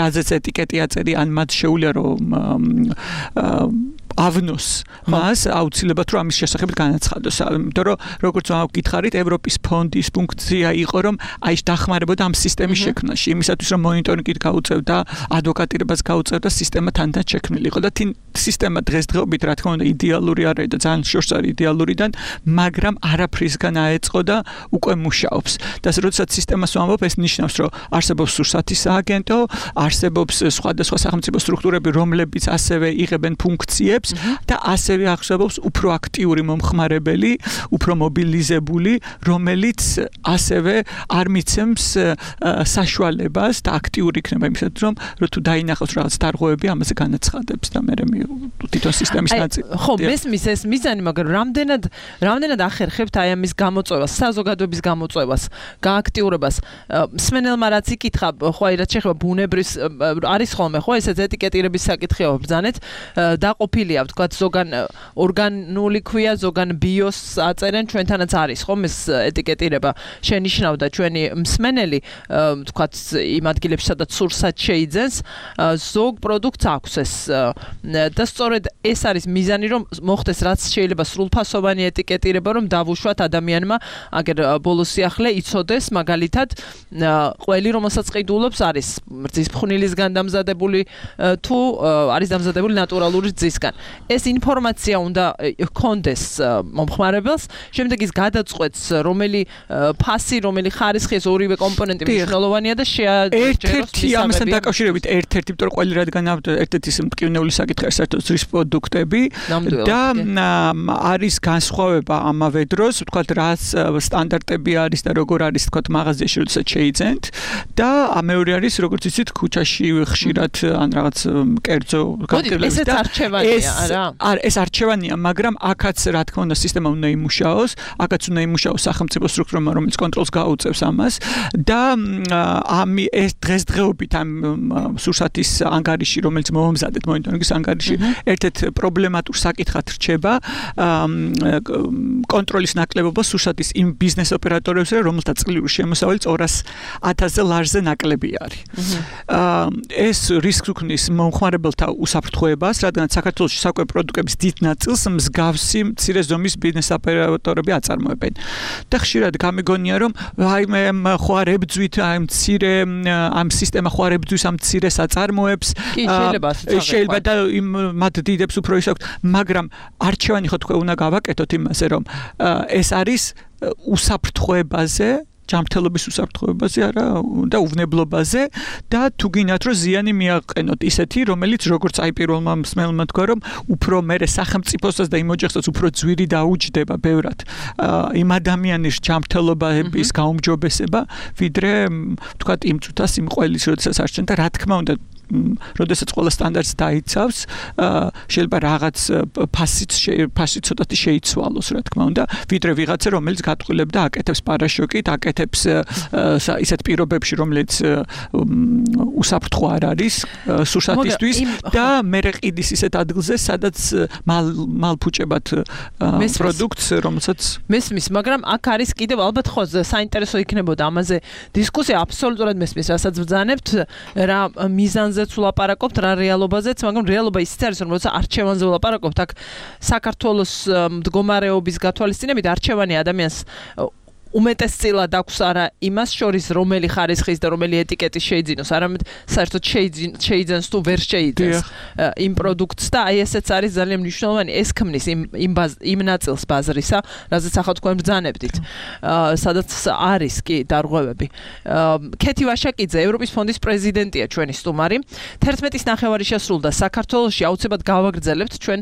რაზეც ეტიკეტი აწერი ან მათ შეუძლია რომ ავნოს მას აუცილებლად რომ ამის შესახებ განაცხადოს. იმიტომ რომ როგორც გითხარით ევროპის ფონდის ფუნქცია იყო რომ აი დახმარებოდა ამ სისტემის შექმნაში იმისათვის რომ მონიტორინგით გაუწევდა ადვოკატირებას გაუწევდა სისტემა თანდათან შექმნილი იყო და თინ სისტემა დღესდღეობით რა თქმა უნდა იდეალური არ არის და ძალიან შორს არის იდეალურიდან მაგრამ არაფრისგან აეწყო და უკვე მუშაობს და როდესაც სისტემას ვამბობ ეს ნიშნავს რომ არსებობს სურსათის სააგენტო არსებობს სხვადასხვა სახელმწიფო სტრუქტურები რომლებიც ასევე იღებენ ფუნქციებს და ასევე ახსოვებს უფრო აქტიური მომხმარებელი, უფრო მობილიზებული, რომელიც ასევე არ მიცემს საშუალებას და აქტიური იქნება იმისათვის, რომ რო თუ დაინახოს რაღაც დარღვევები, ამაზე განაცხადებს და მე თვითონ სისტემის ნაწილი. ხო, მესმის ეს მიზანი, მაგრამ რამდენად რამდენად ახერხებთ აი ამის გამოწვევას, საზოგადოების გამოწვევას, გააქტიურებას. მსმენელმა რაც იკითხა, ხო აი რაც შეეხება ბუნებრივს არის ხოლმე, ხო ესეც ეტიკეტირების საკითხია ბრძანეთ, დაყოფილია ვთქვათ ზოგან ორგანული ქვია, ზოგან ბიოს აწერენ, ჩვენთანაც არის ხომ ეს ეტიკეტირება შენიშნავდა ჩვენი მსმენელი, ვთქვათ იმ ადგილებში სადაც სურსათ შეიძენს, ზოგ პროდუქტს აქვს ეს და სწორედ ეს არის მიზანი რომ მოხდეს რაც შეიძლება სრულფასოვანი ეტიკეტირება რომ დავუშვათ ადამიანმა აგერ ბოლოს სიახლე იცოდეს მაგალითად ყველი რომელსაც ყიდულობს არის რძის ფხვნილისგან დამზადებული თუ არის დამზადებული ნატურალური რძისგან. ეს ინფორმაცია უნდა ჰქონდეს მომხმარებელს, შემდეგ ის გადაწყვეტს რომელი ფასი, რომელი ხარისხი ეს ორივე კომპონენტი მნიშვნელოვანია და შეაჯეროს ერთ-ერთი ამასთან დაკავშირებით ერთ-ერთი იმიტომ რომ ყველი რადგან ერთ-ერთი ის მტკივნეული საკითხი არის საერთოდ რძის პროდუქტები და არის განსხვავება ამავე დროს, ვთქვათ რაც სტანდარტები არის და როგორ არის ვთქვათ მაღაზიაში როდესაც შეიძენთ და მეორე არის როგორც იცით ქუჩაში ხშირად ან რაღაც კერძო გაგრძელებს და არჩევანია არა არ ეს არჩევანია, მაგრამ აქაც რა თქმა უნდა სისტემა უნდა იმუშაოს, აქაც უნდა იმუშაოს სახელმწიფო სტრუქტურა, რომელიც კონტროლს გაუწევს ამას და ამი ეს დღესდღეობით ამ სურსათის ანგარიში, რომელიც მომზადეთ მონიტორინგის ანგარიში, ერთ-ერთ პრობლემატურ საკითხად რჩება კონტროლის ნაკლებობა სურსათის იმ ბიზნეს ოპერატორებზე, რომელთა წლიური შემოსავალი ორას ათასზე ლარზე ნაკლები არის. ეს რისკს უქმნის მომხმარებელთა უსაფრთხოებას, რადგან საქართველოში საკვები პროდუქტების დიდ ნაწილს მსგავსი მცირე ზომის ბიზნეს ოპერატორები აწარმოებენ. და ხშირად გამიგონია რომ აი მე ხო არ ებძვით აი მცირე ამ სისტემა ხო არ ებძვის ამ მცირეს აწარმოებს. შეიძლება და იმ მათ დიდებს უფრო ის აქვს, მაგრამ არჩევანი ხო თქვენ უნდა გავაკეთოთ იმაზე რომ ეს არის უსაფრთხოებაზე ჯანმრთელობის უსაფრთხოებაზე არა და უვნებლობაზე და თუ გინდათ რომ ზიანი მიაყენოთ ისეთი რომელიც როგორც აი პირველმა მსმენელმა თქვა რომ უფრო მერე სახელმწიფოსაც და იმ ოჯახსაც უფრო ძვირი დაუჯდება ბევრად იმ ადამიანის ჯანმრთელობის გაუმჯობესება ვიდრე ვთქვათ იმ წუთას იმ ყველის როდესაც არჩენ და რა თქმა უნდა როდესაც ყველა სტანდარტს დაიცავს, შეიძლება რაღაც ფასიც ფასი ცოტათი შეიცვალოს, რა თქმა უნდა, ვიდრე ვიღაცა რომელიც გატყულებდა აკეთებს პარაშოკით, აკეთებს ისეთ პირობებში, რომელიც უსაფრთხო არ არის სურსათისთვის და მერე ყიდის ისეთ ადგილზე, სადაც მალფუჭებად პროდუქტს, რომელსაც მესმის, მაგრამ აქ არის კიდევ ალბათ ხო საინტერესო იქნებოდა ამაზე დისკუსია, აბსოლუტურად მესმის, რასაც ბრძანებთ, რა მიზანზეც ვლაპარაკობთ, რა რეალობაზეც, მაგრამ რეალობა ისიც არის, რომ როცა არჩევანზე ვლაპარაკობთ, აქ საქართველოს მდგომარეობის გათვალისწინებით არჩევანი ადამიანს უმეტესწილად აქვს არა იმას შორის, რომელი ხარისხის და რომელი ეტიკეტის შეიძინოს, არამედ საერთოდ შეიძენს თუ ვერ შეიძენს იმ პროდუქტს და აი ესეც არის ძალიან მნიშვნელოვანი, ეს ქმნის იმ იმ იმ ნაწილს ბაზრისა, რაზეც ახლა თქვენ ბრძანებდით, სადაც არის კი დარღვევები. ქეთი ვაშაკიძე, ევროპის ფონდის პრეზიდენტია ჩვენი სტუმარი. თერთმეტის ნახევარი შესრულდა საქართველოში, აუცილებლად გავაგრძელებთ ჩვენ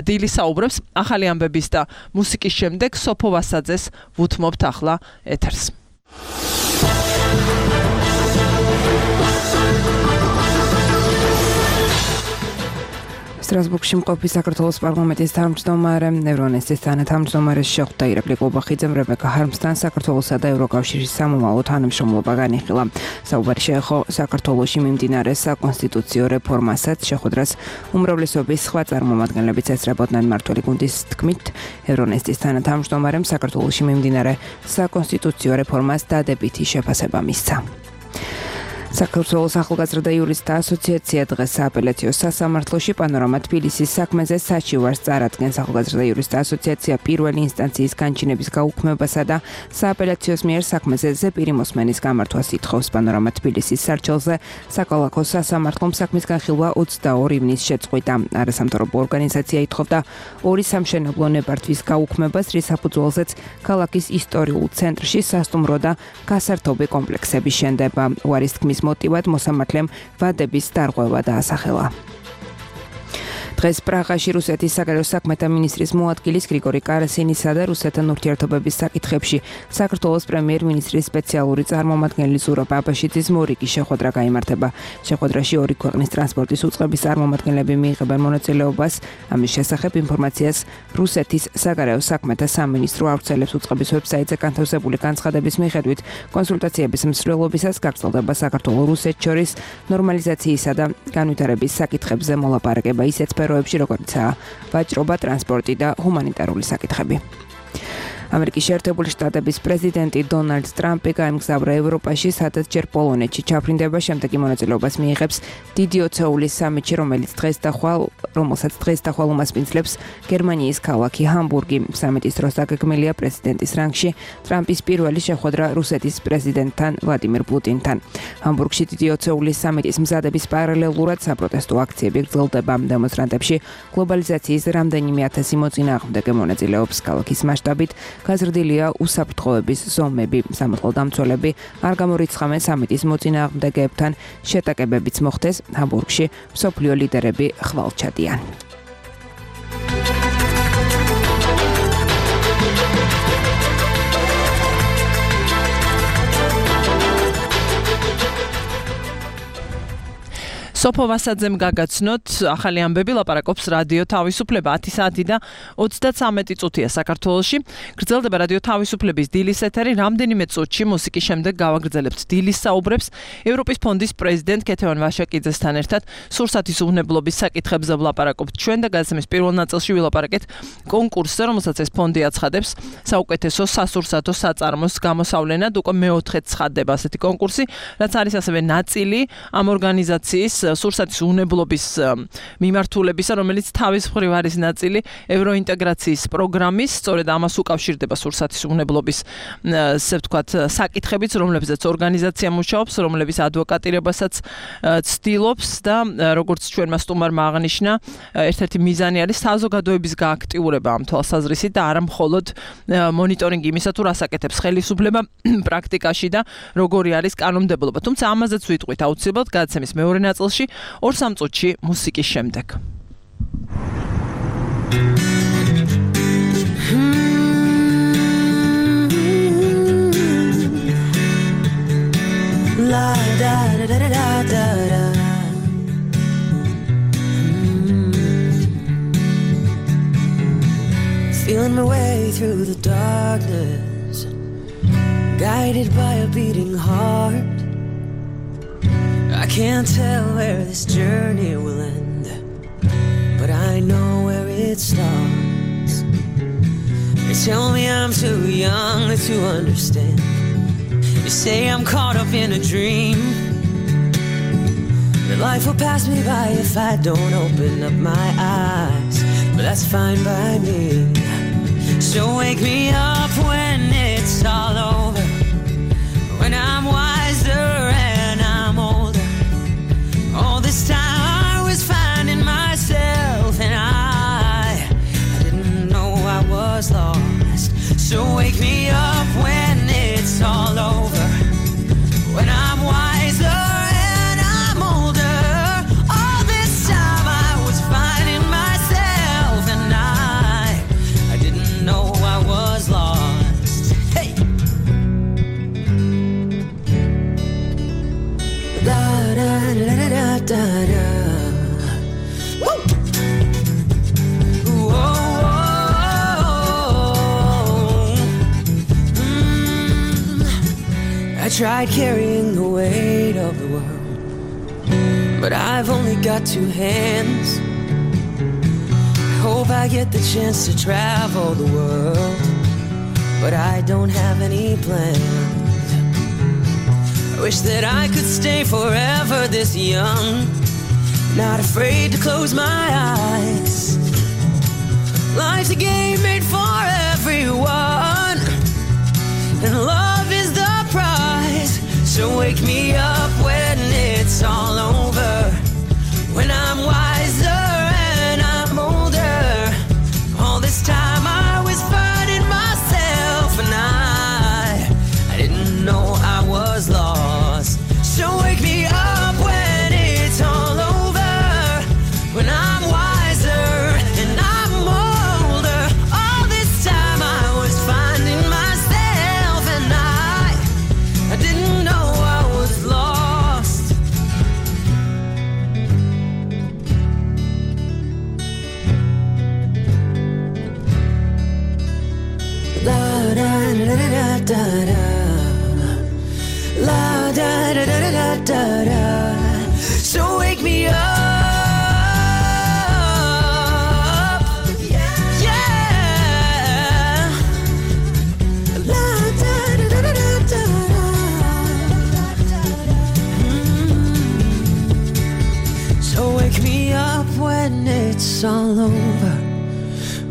დილის საუბრებს ახალი ამბების და მუსიკის შემდეგ სოფო ვასაძეს ვუთმობთ ახლა ეთერს. სტრასბურგში მყოფი საქართველოს პარლამენტის თავმჯდომარე ევრონესტის თანათავმჯდომარე შეხვდა ირაკლი ყუბახიძემ რებეკა ჰარმსთან საქართველოსა და ევროკავშირის სამომავლო თანამშრომლობა განიხილა. საუბარი შეეხო საქართველოში მიმდინარე საკონსტიტუციო რეფორმასაც, შეხვედრას უმრავლესობის სხვა წარმომადგენლებიც ესწრებოდნენ. მმართველი გუნდის თქმით, ევრონესტის თანათავმჯდომარემ საქართველოში მიმდინარე საკონსტიტუციო რეფორმას დადებითი შეფასება მისცა. საქართველოს ახალგაზრდა იურისტთა ასოციაცია დღეს სააპელაციო სასამართლოში პანორამა თბილისის საქმეზე საჩივარს წარადგენს. ახალგაზრდა იურისტთა ასოციაცია პირველი ინსტანციის განჩინების გაუქმებასა და სააპელაციოს მიერ საქმეზე ზეპირი მოსმენის გამართვას ითხოვს. პანორამა თბილისის სარჩელზე საკალათო სასამართლომ საქმის განხილვა ოცდაორი ივნის შეწყვიტა. არასამთავრობო ორგანიზაცია ითხოვდა ორი სამშენებლო ნებართვის გაუქმებას, რის საფუძველზეც ქალაქის ისტორიულ ცენტრში სასტუმრო და გასართობი კომპლექსები შენდება. უარის თქმის მოტივად მოსამართლემ ვადების დარღვევა დაასახელა. დღეს პრაღაში რუსეთის საგარეო საქმეთა მინისტრის მოადგილის გრიგორი კარასინისა და რუსეთთან ურთიერთობების საკითხებში საქართველოს პრემიერ-მინისტრის სპეციალური წარმომადგენელი ზურაბ აბაშიძის მორიგი შეხვედრა გაიმართება. შეხვედრაში ორი ქვეყნის ტრანსპორტის უწყების წარმომადგენლები მიიღებენ მონაწილეობას. ამის შესახებ ინფორმაციას რუსეთის საგარეო საქმეთა სამინისტრო ავრცელებს. უწყების ვებსაიტზე განთავსებული განცხადების მიხედვით, კონსულტაციების მსვლელობისას გაგრძელდება საქართველოს-რუსეთს შორის ნორმალიზაციისა და განვითარების საკითხებზე მოლაპარაკება ისეთ სფეროებში, როგორიცაა ვაჭრობა, ტრანსპორტი და ჰუმანიტარული საკითხები. ამერიკის შეერთებული შტატების პრეზიდენტი დონალდ ტრამპი გაემგზავრა ევროპაში, სადაც ჯერ პოლონეთში ჩაფრინდება, შემდეგ მონაწილეობას მიიღებს დიდი ოცეულის სამიტში, რომელიც დღეს და ხვალ, რომელსაც დღეს და ხვალ უმასპინძლებს გერმანიის ქალაქი ჰამბურგი. სამიტის დროს დაგეგმილია პრეზიდენტის რანგში ტრამპის პირველი შეხვედრა რუსეთის პრეზიდენტთან ვლადიმირ პუტინთან. ჰამბურგში დიდი ოცეულის სამიტის მზადების პარალელურად საპროტესტო აქციები გრძელდება. დემონსტრანტებში გლობალიზაციის რამდენიმე ათასი მოწინააღმდეგე მონაწილეობს. ქალაქის მასშტაბით გაზრდილია უსაფრთხოების ზომები. სამართალ დამცველები არ გამორიცხავენ სამიტის მოწინააღმდეგეებთან შეტაკებებიც მოხდეს. ჰამბურგში მსოფლიო ლიდერები ხვალ ჩადიან. სოფო ვასაძემ გაგაცნოთ ახალი ამბები, ლაპარაკობს რადიო თავისუფლება. ათი საათი და ოცდათვრამეტი წუთია საქართველოში. გრძელდება რადიო თავისუფლების დილის ეთერი. რამდენიმე წუთში მუსიკის შემდეგ გავაგრძელებთ დილის საუბრებს ევროპის ფონდის პრეზიდენტ ქეთევან ვაშაკიძესთან ერთად. სურსათის უვნებლობის საკითხებზე ვლაპარაკობთ ჩვენ და გადაცემის პირველ ნაწილში ვილაპარაკეთ კონკურსზე, რომელსაც ეს ფონდი აცხადებს საუკეთესო სასურსათო საწარმოს გამოსავლენად. უკვე მეოთხედ ცხადდება ასეთი კონკურსი, რაც არის ასევე ნაწილი ამ ორგანიზაციის სურსათის უვნებლობის მიმართულებისა, რომელიც თავის მხრივ არის ნაწილი ევროინტეგრაციის პროგრამის, სწორედ ამას უკავშირდება სურსათის უვნებლობის, ასე ვთქვათ, საკითხებიც, რომლებზეც ორგანიზაცია მუშაობს, რომლების ადვოკატირებასაც ცდილობს და როგორც ჩვენმა სტუმარმა აღნიშნა, ერთ-ერთი მიზანი არის საზოგადოების გააქტიურება ამ თვალსაზრისით და არა მხოლოდ მონიტორინგი იმისა, თუ რას აკეთებს ხელისუფლება პრაქტიკაში და როგორი არის კანონმდებლობა. თუმცა ამაზეც ვიტყვით აუცილებლად გადაცემის მეორე ნაწილში ორ სამ წუთში მუსიკის შემდეგ. La da da da da da da. find my way through the darkness, guided by a beating heart. I can't tell where this journey will end, but I know where it starts. They tell me I'm too young to understand. They say I'm caught up in a dream, that life will pass me by if I don't open up my eyes, but that's fine by me. So wake me up when it's all over, when I'm wiser and I'm older. All this time I was finding myself, and I, I didn't know I was lost. So wake me up when it's all over, when I'm wiser and I'm older. All this time I was finding myself, and I, I didn't know I was lost. Hey! Da da da da da da. Woo! Whoa, whoa. Mm. I tried carrying the weight of the world, but I've only got two hands. I hope I get the chance to travel the world, but I don't have any plans. I wish that I could stay forever this young, not afraid to close my eyes. Life's a game made for everyone, and love is the prize. So wake me up when it's all over, when I'm wiser and I'm older. All this time I was finding myself, and I, I didn't know I was lost. So wake me up when it's all over, when I'm wiser and I'm older. All this time I was finding myself, and I, I didn't know I was lost. La da da da da da. La da da da da da da. So wake me up. Yeah. La da da da da da da. So wake me up when it's all over,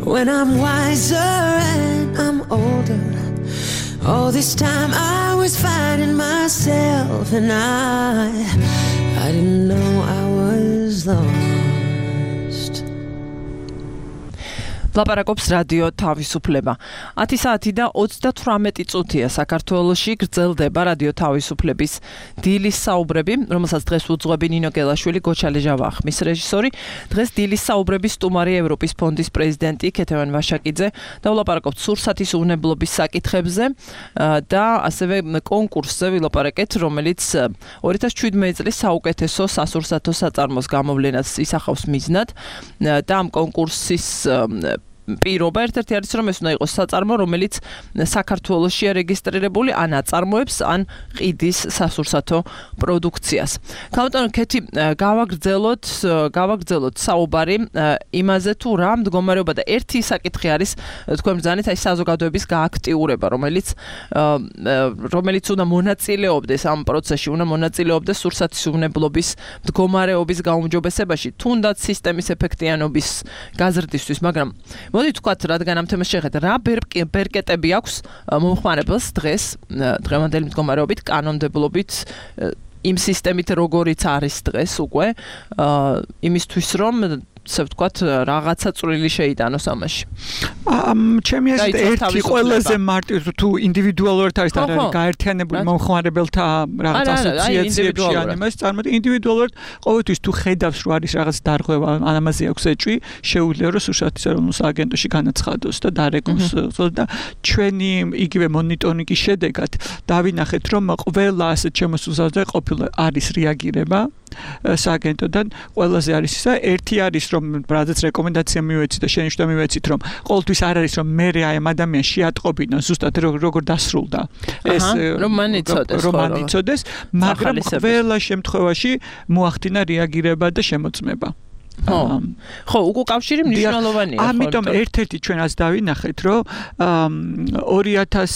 when I'm wiser and I'm older. All this time I was finding myself, and I, I didn't know I was lost. ლაპარაკობს რადიო თავისუფლება. ათი საათი და ოცდათვრამეტი წუთია საქართველოში გრძელდება რადიო თავისუფლების დილის საუბრები, რომელსაც დღეს უძღვები ნინო გელაშვილი, გოჩალე ჟავახმის რეჟისორი. დღეს დილის საუბრების სტუმარი ევროპის ფონდის პრეზიდენტი ქეთევან ვაშაკიძე და ვლაპარაკობთ სურსათის უვნებლობის საკითხებზე და ასევე კონკურსზე ვილაპარაკეთ, რომელიც ორი ათას შვიდმეტი წლის საუკეთესო სასურსათო საწარმოს გამოვლენას ისახავს მიზნად და ამ კონკურსის პირობა ერთ-ერთი არის, რომ ეს უნდა იყოს საწარმო, რომელიც საქართველოშია რეგისტრირებული, ან აწარმოებს, ან ყიდის სასურსათო პროდუქციას. გამოტანო ქეთი, გავაგრძელოთ, გავაგრძელოთ საუბარი იმაზე, თუ რა მდგომარეობა და ერთი საკითხი არის, თქვენ ბრძანეთ, აი საზოგადოების გააქტიურება, რომელიც რომელიც უნდა მონაწილეობდეს ამ პროცესში, უნდა მონაწილეობდეს სურსათის უვნებლობის მდგომარეობის გაუმჯობესებაში, თუნდაც სისტემის ეფექტიანობის გაზრდისთვის, მაგრამ მოდით ვთქვათ, რადგან ამ თემას შეხედეთ, რა ბერკეტები აქვს მომხმარებელს დღეს, დღევანდელი მდგომარეობით, კანონმდებლობით, იმ სისტემით, როგორიც არის დღეს უკვე, იმისთვის, რომ ასე ვთქვათ, რაღაცა წვრილი შეიტანოს ამაში. ჩემი აზრით, ერთი ყველაზე მარტივი თუ ინდივიდუალურად არის და გაერთიანებული მომხმარებელთა რაღაც ასოციაციებში ან იმას წარმოდი, ინდივიდუალურად ყოველთვის თუ ხედავს, რომ არის რაღაც დარღვევა, ან ამაზე აქვს ეჭვი, შეუძლია რომ სურსათის ეროვნულ სააგენტოში განაცხადოს და დარეგოს და ჩვენი იგივე მონიტორინგის შედეგად დავინახეთ, რომ ყველა ასეთ შემოსულზე ყოფილი არის რეაგირება სააგენტოდან ყველაზე არის ისა ერთი არის რომ რადგან რეკომენდაცია მივეცით და შენიშნა მივეცით რომ ყოველთვის არ არის რომ მე აი ამ ადამიანს შეატყობინო ზუსტად როგორ დასრულდა ეს რომ მან იცოდეს რომ მან იცოდეს მაგრამ ყველა შემთხვევაში მოახდინა რეაგირება და შემოწმება ხო ხო უკვე კავშირი მნიშვნელოვანია ხო ამიტომ ერთ-ერთი ჩვენაც დავინახეთ რომ ორი ათას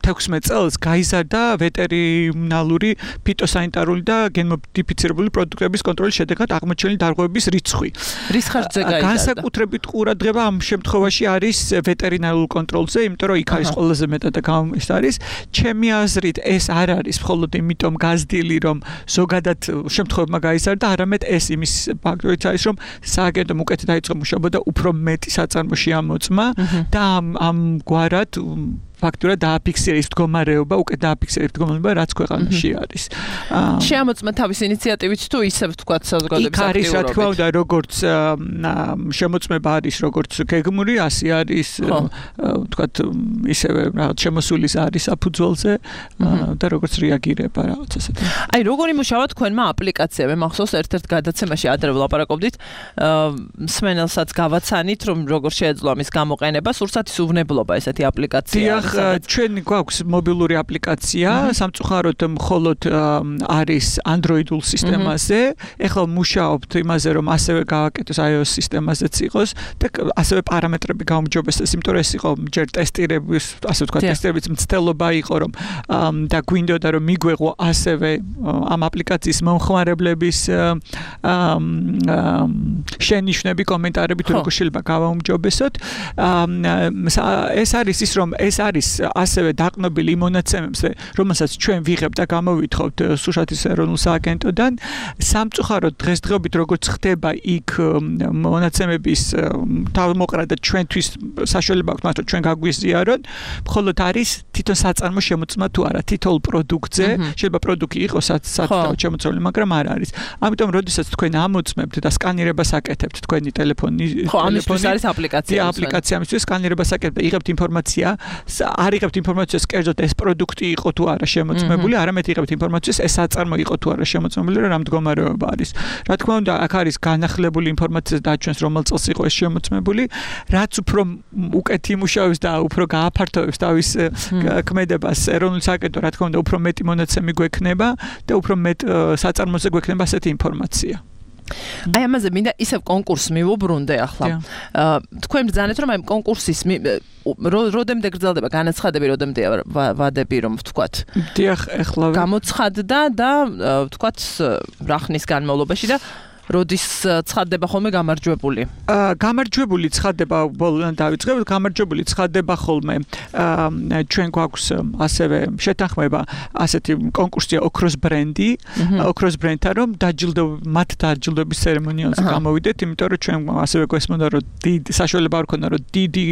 თექვსმეტ წელს გაიზარდა ვეტერინალური ფიტოსანიტარული და გენმოდიფიცირებული პროდუქტების კონტროლის შედეგად აღმოჩენილი დარღვევების რიცხვი. რის ხარჯზე გაიზარდა? განსაკუთრებით ყურადღება ამ შემთხვევაში არის ვეტერინარულ კონტროლზე, იმიტომ რომ იქ არის ყველაზე მეტად და ეს არის. ჩემი აზრით ეს არ არის მხოლოდ იმიტომ გაზრდილი რომ ზოგადად შემთხვევებმა გაიზარდა, არამედ ეს იმის ფაქტორიც არის რომ სააგენტომ უკეთ დაიწყო მუშაობა და უფრო მეტი საწარმოში ამოწმა და ამ ამ გვარად ფაქტურად დააფიქსირეს მდგომარეობა, უკეთ დააფიქსირეს მდგომარეობა, რაც ქვეყანაში არის. შეამოწმა თავის ინიციატივით თუ ისევ თქვა საზოგადოების აქტიურობით. იქ არის რა თქმა უნდა, როგორც შემოწმება არის, როგორც გეგმური, ასე არის, თქვა ისევე რაღაც შემოსულის არის საფუძველზე და როგორც რეაგირება რაღაც ასეთი. აი, როგორ იმუშავა თქვენმა აპლიკაციები? მახსოვს ერთ-ერთ გადაცემაში ადრე ვლაპარაკობდით, მსმენელსაც გავაცანით, რომ როგორ შეეძლო ამის გამოყენება, სურსათის უვნებლობა ესეთი აპლიკაცია. ჩვენ გვაქვს მობილური აპლიკაცია, სამწუხაროდ მხოლოდ არის Android-ულ სისტემაზე. ეხლა მუშაობთ იმაზე, რომ ასევე გავაკეთოს iOS სისტემაზეც იყოს და ასევე პარამეტრები გაუმჯობესდეს, იმიტომ რომ ეს იყო ჯერ ტესტირების, ასე ვთქვათ, ტესტირების მცდელობა იყო, რომ და გვინდოდა რომ მიგვეღო ასევე ამ აპლიკაციის მომხმარებლების შენიშვნები, კომენტარები თუ როგორ შეიძლება გავაუმჯობესოთ. ეს არის ის, რომ ეს არის ასევე დაყნობილი იმ მონაცემებზე, რომელსაც ჩვენ ვიღებთ და გამოვითხოვთ სუშათის ეროვნულ სააგენტოდან. სამწუხაროდ დღესდღეობით როგორც ხდება იქ მონაცემების თავმოყრა და ჩვენთვის საშუალება აქვს, მაგრამ ჩვენ გაგვიზიაროთ, მხოლოდ არის თვითონ საწარმო შემოწმა თუ არა, თითოეულ პროდუქტზე, შეიძლება პროდუქტი იყოს სათითაოდ შემოწმული, მაგრამ არ არის. ამიტომ როდესაც თქვენ ამოწმებთ და სკანირებას აკეთებთ თქვენი ტელეფონი, ხო, ამისთვის არის აპლიკაცია. აპლიკაცია ამისთვის სკანირებას აკეთებთ და იღებთ ინფორმაცია არ იღებთ ინფორმაციას კერძოდ ეს პროდუქტი იყო თუ არა შემოწმებული, არამედ იღებთ ინფორმაციას ეს საწარმო იყო თუ არა შემოწმებული, რა მდგომარეობა არის. რა თქმა უნდა, აქ არის განახლებული ინფორმაცია დაჩვენს რომელ წელს იყო ეს შემოწმებული, რაც უფრო უკეთ იმუშავებს და უფრო გააფართოვებს თავის ქმედებას ეროვნულ სააგენტო, რა თქმა უნდა, უფრო მეტი მონაცემი გვექნება და უფრო მეტ საწარმოზე გვექნება ასეთი ინფორმაცია. აი ამაზე მინდა ისევ კონკურსს მივუბრუნდე ახლა. თქვენ ბრძანეთ რომ აი კონკურსის როდემდე გრძელდება განაცხადები, როდემდე ვადები რომ ვთქვათ. დიახ, ეხლა გამოცხადდა და ვთქვათ რა ხნის განმავლობაში და როდის ცხადდება ხოლმე გამარჯვებული? აა გამარჯვებული ცხადდება ბოლოდან დავიწყებ, გამარჯვებული ცხადდება ხოლმე. აა ჩვენ გვაქვს ასევე შეთანხმება ასეთი კონკურსია ოქროს ბრენდი, ოქროს ბრენდთან რომ დაჯილდო მათ დაჯილდოების ცერემონიალზე გამოვიდეთ, იმიტომ რომ ჩვენ ასევე გვესმოდა რომ დიდი საშუალება არ ქონდა რომ დიდი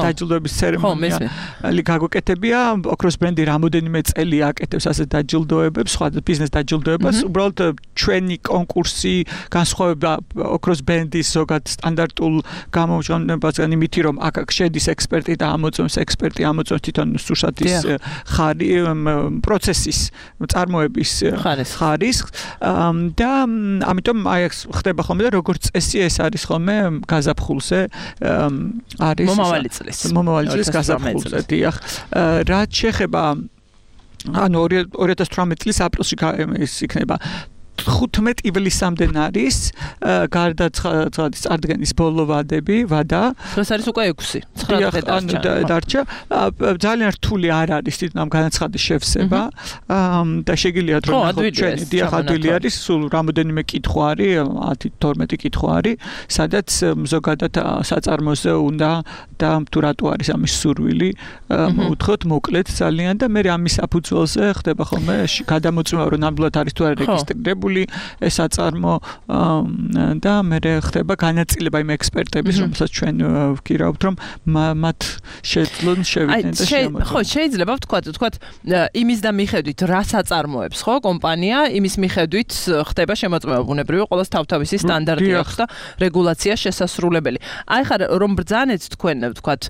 დაჯილდოების ცერემონიალი გაგვეკეთებია. ოქროს ბრენდი რამოდენიმე წელი აკეთებს ასე დაჯილდოებებს, სხვა ბიზნეს დაჯილდოებას. უბრალოდ ჩვენი კონკურსი განსხვავება ოქროს ბრენდის ზოგად სტანდარტულ გამოჩვენებასგან იმითი რომ აქ შედის ექსპერტი და ამოწმოს ექსპერტი ამოწმოს თვითონ სურსათის ხარი პროცესის წარმოების ხარისხს და ამიტომ აი ხდება ხოლმე და როგორც წესი ეს არის ხოლმე გაზაფხულზე არის მომავალი წლის მომავალი წლის გაზაფხულზე დიახ რაც შეეხება ანუ ორი ათას თვრამეტი წლის აპრილში ის იქნება ხუთმეტ ივლისამდე არის გარდა წარდგენის ბოლო ვადები, ვადა. ეს არის უკვე ექვსი, ცხრა დღე დარჩა. ძალიან რთული არ არის თვითონ ამ განაცხადის შევსება და შეგიძლიათ რომ ჩვენი დიახადვილი არის, სულ რამოდენიმე კითხვა არის, ათი თორმეტი კითხვა არის, სადაც ზოგადად საწარმოზე უნდა და თუ რატო არის ამის სურვილი, მოუთხოთ მოკლედ ძალიან და მე ამის საფუძველზე ხდება ხოლმე გადამოწმება რომ ნამდვილად არის თუ არა რეგისტრირებული დამზადებული ეს აწარმო და მე ხდება განაწილება იმ ექსპერტების, რომელსაც ჩვენ ვგირავთ, რომ მათ შეძლონ შევიდნენ და შემოწმեն. ხო, შეიძლება ვთქვათ, ვთქვათ იმის და მიხედვით რა საწარმოებს, ხო, კომპანია, იმის მიხედვით ხდება შემოწმება ბუნებრივი, ყოველს თავთავისი სტანდარტი აქვს და რეგულაცია შესასრულებელი. აი ხარ რომ ბრძანეთ თქვენ, ვთქვათ,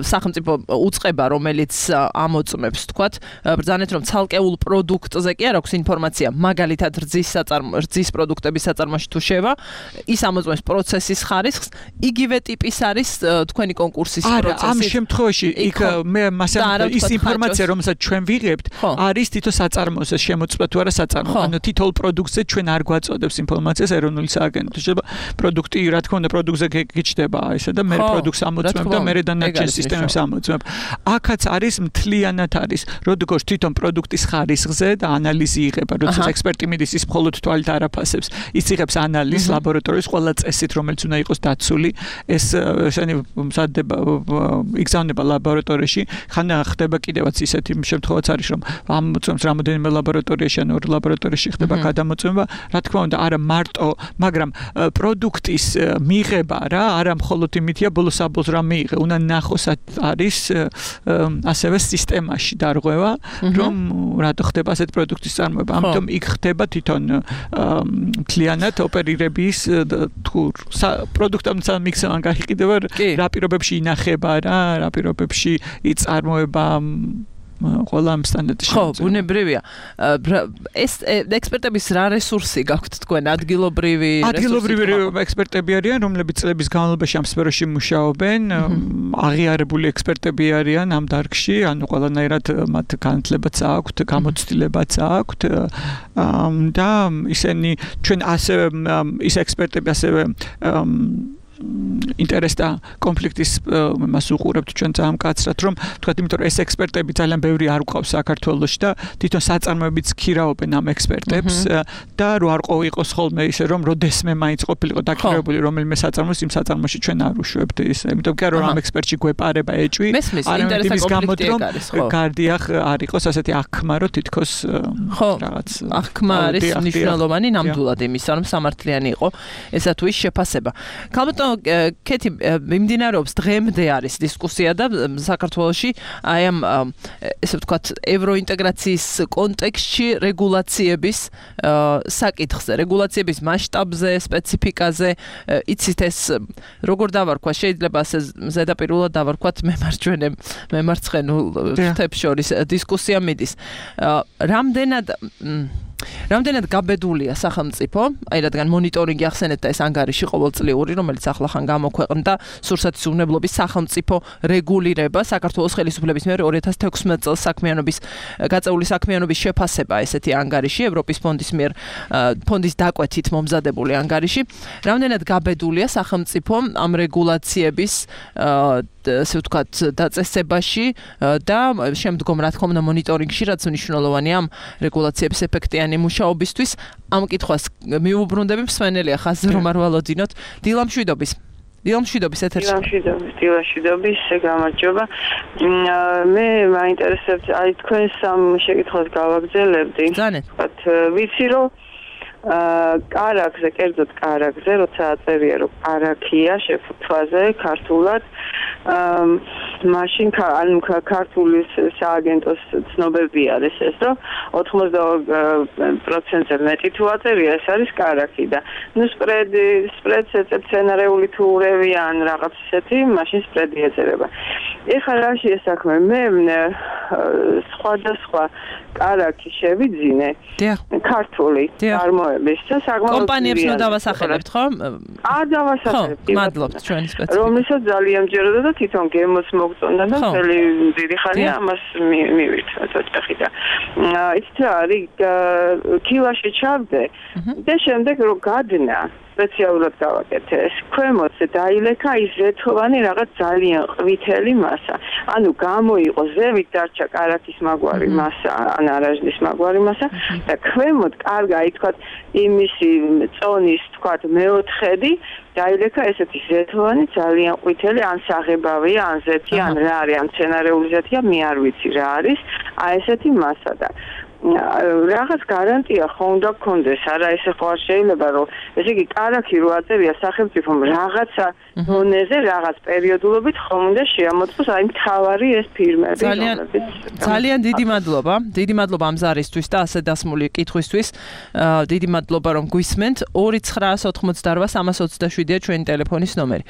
სახელმწიფო უწყება, რომელიც ამოწმებს, ვთქვათ, ბრძანეთ რომ ცალკეულ პროდუქტზე კი არ აქვს ინფორმაცია, მაგალითად რძის საწარმო, რძის პროდუქტების საწარმოში თუ შევა, ის ამოწმებს პროცესის ხარისხს, იგივე ტიპის არის თქვენი კონკურსის პროცესი. არა, ამ შემთხვევაში იქ მე მასე ის ინფორმაცია, რომელსაც ჩვენ ვიღებთ, არის თითო საწარმოზე შემოწმება თუ არა საწარმო. ანუ თითოეულ პროდუქტზე ჩვენ არ გვაწოდებს ინფორმაციას ეროვნული სააგენტო. შეიძლება პროდუქტი, რა თქმა უნდა, პროდუქტზე გიჩნდება ესა და მე პროდუქტს ამოწმებ და მე დანარჩენ სისტემებს ამოწმებ. აქაც არის მთლიანად არის, როგორც თვითონ პროდუქტის ხარისხზე და ანალიზი იღება, როდესაც ექსპერტი მიდის ის მხოლოდ თვალით არ აფასებს. ის იღებს ანალიზს ლაბორატორიის ყველა წესით, რომელიც უნდა იყოს დაცული. ეს ესენი მზადდება, იგზავნება ლაბორატორიაში. ხან ხდება კიდევაც ისეთი შემთხვევაც არის, რომ ამოწმებს რამოდენიმე ლაბორატორიაში ან ორ ლაბორატორიაში ხდება გადამოწმება. რა თქმა უნდა, არა მარტო, მაგრამ პროდუქტის მიღება რა, არა მხოლოდ იმითია ბოლოს-აბოლოს რა მიიღე, უნდა ნახოს არის ასევე სისტემაში დარღვევა, რომ რატო ხდება ასეთ პროდუქტის წარმოება. ამიტომ იქ ხდება თვითონ მთლიანად ოპერირების თუ პროდუქტებთან მიქსევან გაიყიდება რა პირობებში ინახება რა, რა პირობებში იწარმოება ყველა ამ სტანდარტში. ხო, ბუნებრივია. ეს ექსპერტების რა რესურსი გაქვთ თქვენ? ადგილობრივი რესურსი? ადგილობრივი ექსპერტები არიან, რომლებიც წლების განმავლობაში ამ სფეროში მუშაობენ, აღიარებული ექსპერტები არიან ამ დარგში, ანუ ყველანაირად მათ განათლებაც აქვთ, გამოცდილებაც აქვთ და ისინი ჩვენ ასევე ის ექსპერტები ასევე ინტერესთა კონფლიქტის მას უყურებთ ჩვენ ძალიან მკაცრად, რომ თქვათ, იმიტომ რომ ეს ექსპერტები ძალიან ბევრი არ გვყავს საქართველოში და თვითონ საწარმოებიც ქირავობენ ამ ექსპერტებს და რო არ ყო-იყოს ხოლმე ისე რომ როდესმე მაინც ყოფილიყო დაქირავებული რომელიმე საწარმოს, იმ საწარმოში ჩვენ არ უშვებთ ისე, იმიტომ კი რომ ამ ექსპერტში გვეპარება ეჭვი, არ იმის გამოდ რომ გარდიახ არ იყოს ასეთი აღქმა, რომ თითქოს რაღაც აღქმა არის მნიშვნელოვანი ნამდვილად იმისა, რომ სამართლიანი იყო ესა თუ ის შეფასება. ქალბატონო კეთი მიმდინარეობს დღემდე არის დისკუსია და საქართველოში აი ამ ესე ვთქვათ ევროინტეგრაციის კონტექსტში რეგულაციების საკითხზე, რეგულაციების მასშტაბზე, სპეციფიკაზე, იცით ეს როგორ დავარქვა, შეიძლება ასე ზედაპირულად დავარქვათ მემარჯვენე მემარცხენულ თემებს შორის დისკუსია მიდის. რამდენად რამდენად გაბედულია სახელმწიფო, აი რადგან მონიტორინგი ახსენეთ და ეს ანგარიში ყოველწლიური, რომელიც ახლახან გამოქვეყნდა სურსათის უვნებლობის სახელმწიფო რეგულირება საქართველოს ხელისუფლების მიერ ორი ათას თექვსმეტ წელს საქმიანობის გაწეული საქმიანობის შეფასება ესეთი ანგარიში ევროპის ფონდის მიერ ფონდის დაკვეთით მომზადებული ანგარიში. რამდენად გაბედულია სახელმწიფო ამ რეგულაციების ასე ვთქვათ დაწესებაში და შემდგომ რა თქმა უნდა მონიტორინგში, რაც მნიშვნელოვანია ამ რეგულაციების ეფექტიანი მუშაობისთვის. ამ კითხვას მიუბრუნდები მსმენელია ხაზზე რომ არ ვალოდინოთ. დილამშვიდობის. დილამშვიდობის ეთერში. დილამშვიდობის, დილამშვიდობის, გამარჯობა. მე მაინტერესებს აი თქვენ სამ შეკითხვას გავაგზავნებდი. ვთქვათ, ვიცი რომ კარაქზე, კერძოდ კარაქზე, როცა აწერია რომ კარაქია შეფუთვაზე ქართულად, მაშინ ანუ ქართული სააგენტოს ცნობები არის ეს, რომ ოთხმოცდაორი პროცენტზე მეტი თუ აწერია, ეს არის კარაქი და ნუ სპრედი, სპრედს ეწევ სცენარეული თუ ურევია ან რაღაც ისეთი, მაშინ სპრედი ეწერება. ეხლა რა შეესახმე, მე სხვადასხვა კარაქი შევიძინე ქართული წარმოების და საკმაოდ კომპანიებს ნუ დავასახელებთ, ხო? აა დავასახელებთ. ხო, მადლობთ ჩვენი სპეციალისტი. რომელსაც ძალიან მჯეროდა და თვითონ გემოს მოგწონდა და მთელი დიდი ხანია ამას მივირთ ოჯახი და იცით რა არის კილაში ჩავდე და შემდეგ რომ გადნა სპეციალურად გავაკეთე ეს ქვემოთზე დაილექა ის ზეთოვანი რაღაც ძალიან ყვითელი მასა. ანუ გამოიყო ზევით დარჩა კარაქის მაგვარი მასა, ან არაჟნის მაგვარი მასა და ქვემოთ კარგა ითქვათ იმისი წონის თქვათ მეოთხედი დაილექა ესეთი ზეთოვანი ძალიან ყვითელი, ან საღებავია, ან ზეთი, ან რა არის, ან მცენარეული ზეთია, მე არ ვიცი რა არის. აი ესეთი მასა და რაღაც გარანტია ხო უნდა გქონდეს, არა ესე ხო არ შეიძლება რომ ესე იგი კარაქი რო აწერია სახელმწიფომ რაღაცა დონეზე რაღაც პერიოდულობით ხომ უნდა შეამოწმოს აი მთავარი ეს ფირმები ძალიან ძალიან დიდი მადლობა დიდი მადლობა ამ ზარისთვის და ასე დასმული კითხვისთვის დიდი მადლობა რომ გვისმენთ ორი ცხრაას ოთხმოცდაოთხ სამას ოცდაშვიდია ჩვენი ტელეფონის ნომერი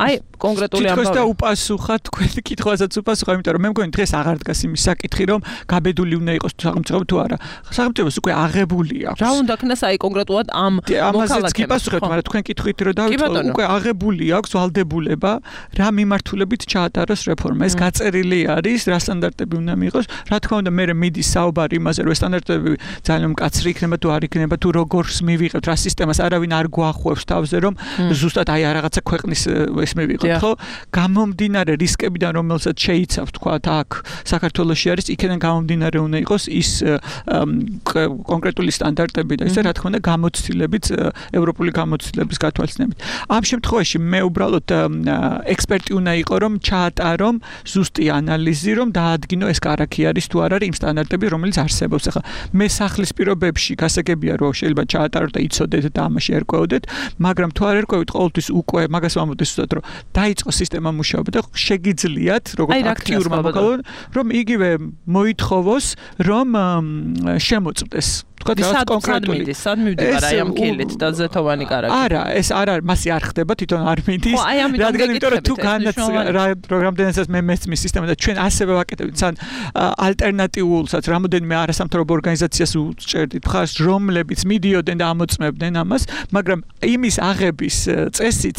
აი კონკრეტული ამბავი თითქოს და უპასუხა თქვენი კითხვასაც უპასუხა იმიტომ რომ მე მგონი დღეს აღარ დგას იმის საკითხი რომ გაბედული უნდა იყოს სახელმწიფო თუ არა სახელმწიფოს უკვე აღებული აქვს რა უნდა ქნას აი კონკრეტულად ამ ამაზეც გიპასუხებთ მაგრამ თქვენ კითხვით რომ დავიწყო უკვე აღებული აქვს ვალდებულება რა მიმართულებით ჩაატაროს რეფორმა ეს გაწერილი არის რა სტანდარტები უნდა მიიღოს რა თქმა უნდა მე მიდის საუბარი იმაზე რომ სტანდარტები ძალიან მკაცრი იქნება თუ არ იქნება თუ როგორს მივიღებთ რა სისტემას არავინ არ გვახვევს თავზე რომ ზუსტად აი რაღაცა ქვეყნის ეს მივიღოთ ხო გამომდინარე რისკებიდან რომელსაც შეიცავს თქვა აქ საქართველოში არის იქიდან გამომდინარე უნდა იყოს ის კონკრეტული სტანდარტები და ისე რა თქმა უნდა გამოცდილებით ევროპული გამოცდილების გათვალისწინებით ამ შემთხვევაში მე უბრალოდ ექსპერტი უნდა იყო რომ ჩაატარომ ზუსტი ანალიზი რომ დაადგინო ეს კარაქი არის თუ არ არის იმ სტანდარტები რომელიც არსებობს ახლა მე სახლის პირობებში გასაგებია რომ შეიძლება ჩაატაროთ და იცოდეთ და ამაში ერკვეოდეთ მაგრამ თუ არ ერკვევით ყოველთვის უკვე მაგას ვამბობთ ზუსტად რომ დაიწყო სისტემა მუშაობა და შეგიძლიათ როგორც აქტიურმა მოქალაქემ რომ იგივე მოითხოვოს რომ შემოწმდეს თქვა და კონკრეტული სად მივდივარ აი ამ კილით და ზეთოვანი კარაქი არა ეს არ არის მასი არ ხდება თვითონ არ მიდის რადგან იმიტომ რომ თუ პროგრამდენსაც მე მესმის სისტემა და ჩვენ ასევე ვაკეთებთ თან ალტერნატიულსაც რამოდენიმე არასამთავრობო ორგანიზაციას უჭერდით ხარს რომლებიც მიდიოდნენ და ამოწმებდნენ ამას მაგრამ იმის აღების წესიც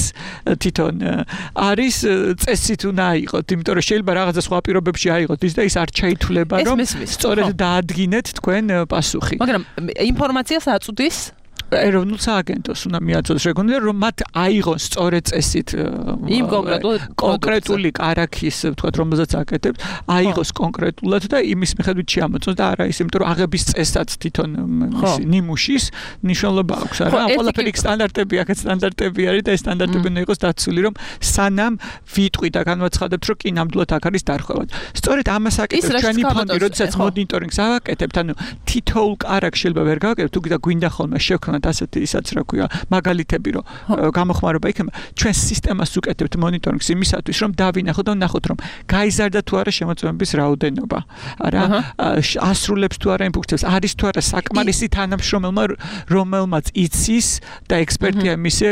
თვითონ არის წესით უნდა აიღოთ იმიტომ რომ შეიძლება რაღაცა სხვა პირობებში აიღოთ ის და ის არ ჩაითვლება რომ სწორედ დაადგინეთ თქვენ პასუხი მაგრამ ინფორმაციას აწვდის ეროვნულ სააგენტოს უნდა მიაწოდოს რეგულარულად რომ მათ აიღონ სწორედ წესით იმ კონკრეტული კარაქის თქვათ რომელზეც აკეთებთ აიღოს კონკრეტულად და იმის მიხედვით შეამოწმოს და არა ის იმიტომ რომ აღების წესაც თვითონ ნიმუშის ნიშნულობა აქვს არა ყველაფერი სტანდარტები აქეთ სტანდარტები არის და ეს სტანდარტები უნდა იყოს დაცული რომ სანამ ვიტყვი და განვაცხადებთ რომ კი ნამდვილად აქ არის დარღვევა სწორედ ამას აკეთებს ჩვენი ფონდი როდესაც მონიტორინგს ავაკეთებთ ანუ თითოეულ კარაქს შეიძლება ვერ გავაკეთებთ თუ გვინდა ხოლმე შევქნათ ასეთი ისაც რა ქვია მაგალითები რომ გამოხმარება იქნება ჩვენ სისტემას უკეთებთ მონიტორინგს იმისათვის რომ დავინახოთ და ვნახოთ რომ გაიზარდა თუ არა შემოწმების რაოდენობა არა ასრულებს თუ არა იმ ფუნქციას არის თუ არა საკმარისი თანამშრომელმა რომელმაც იცის და ექსპერტია მისე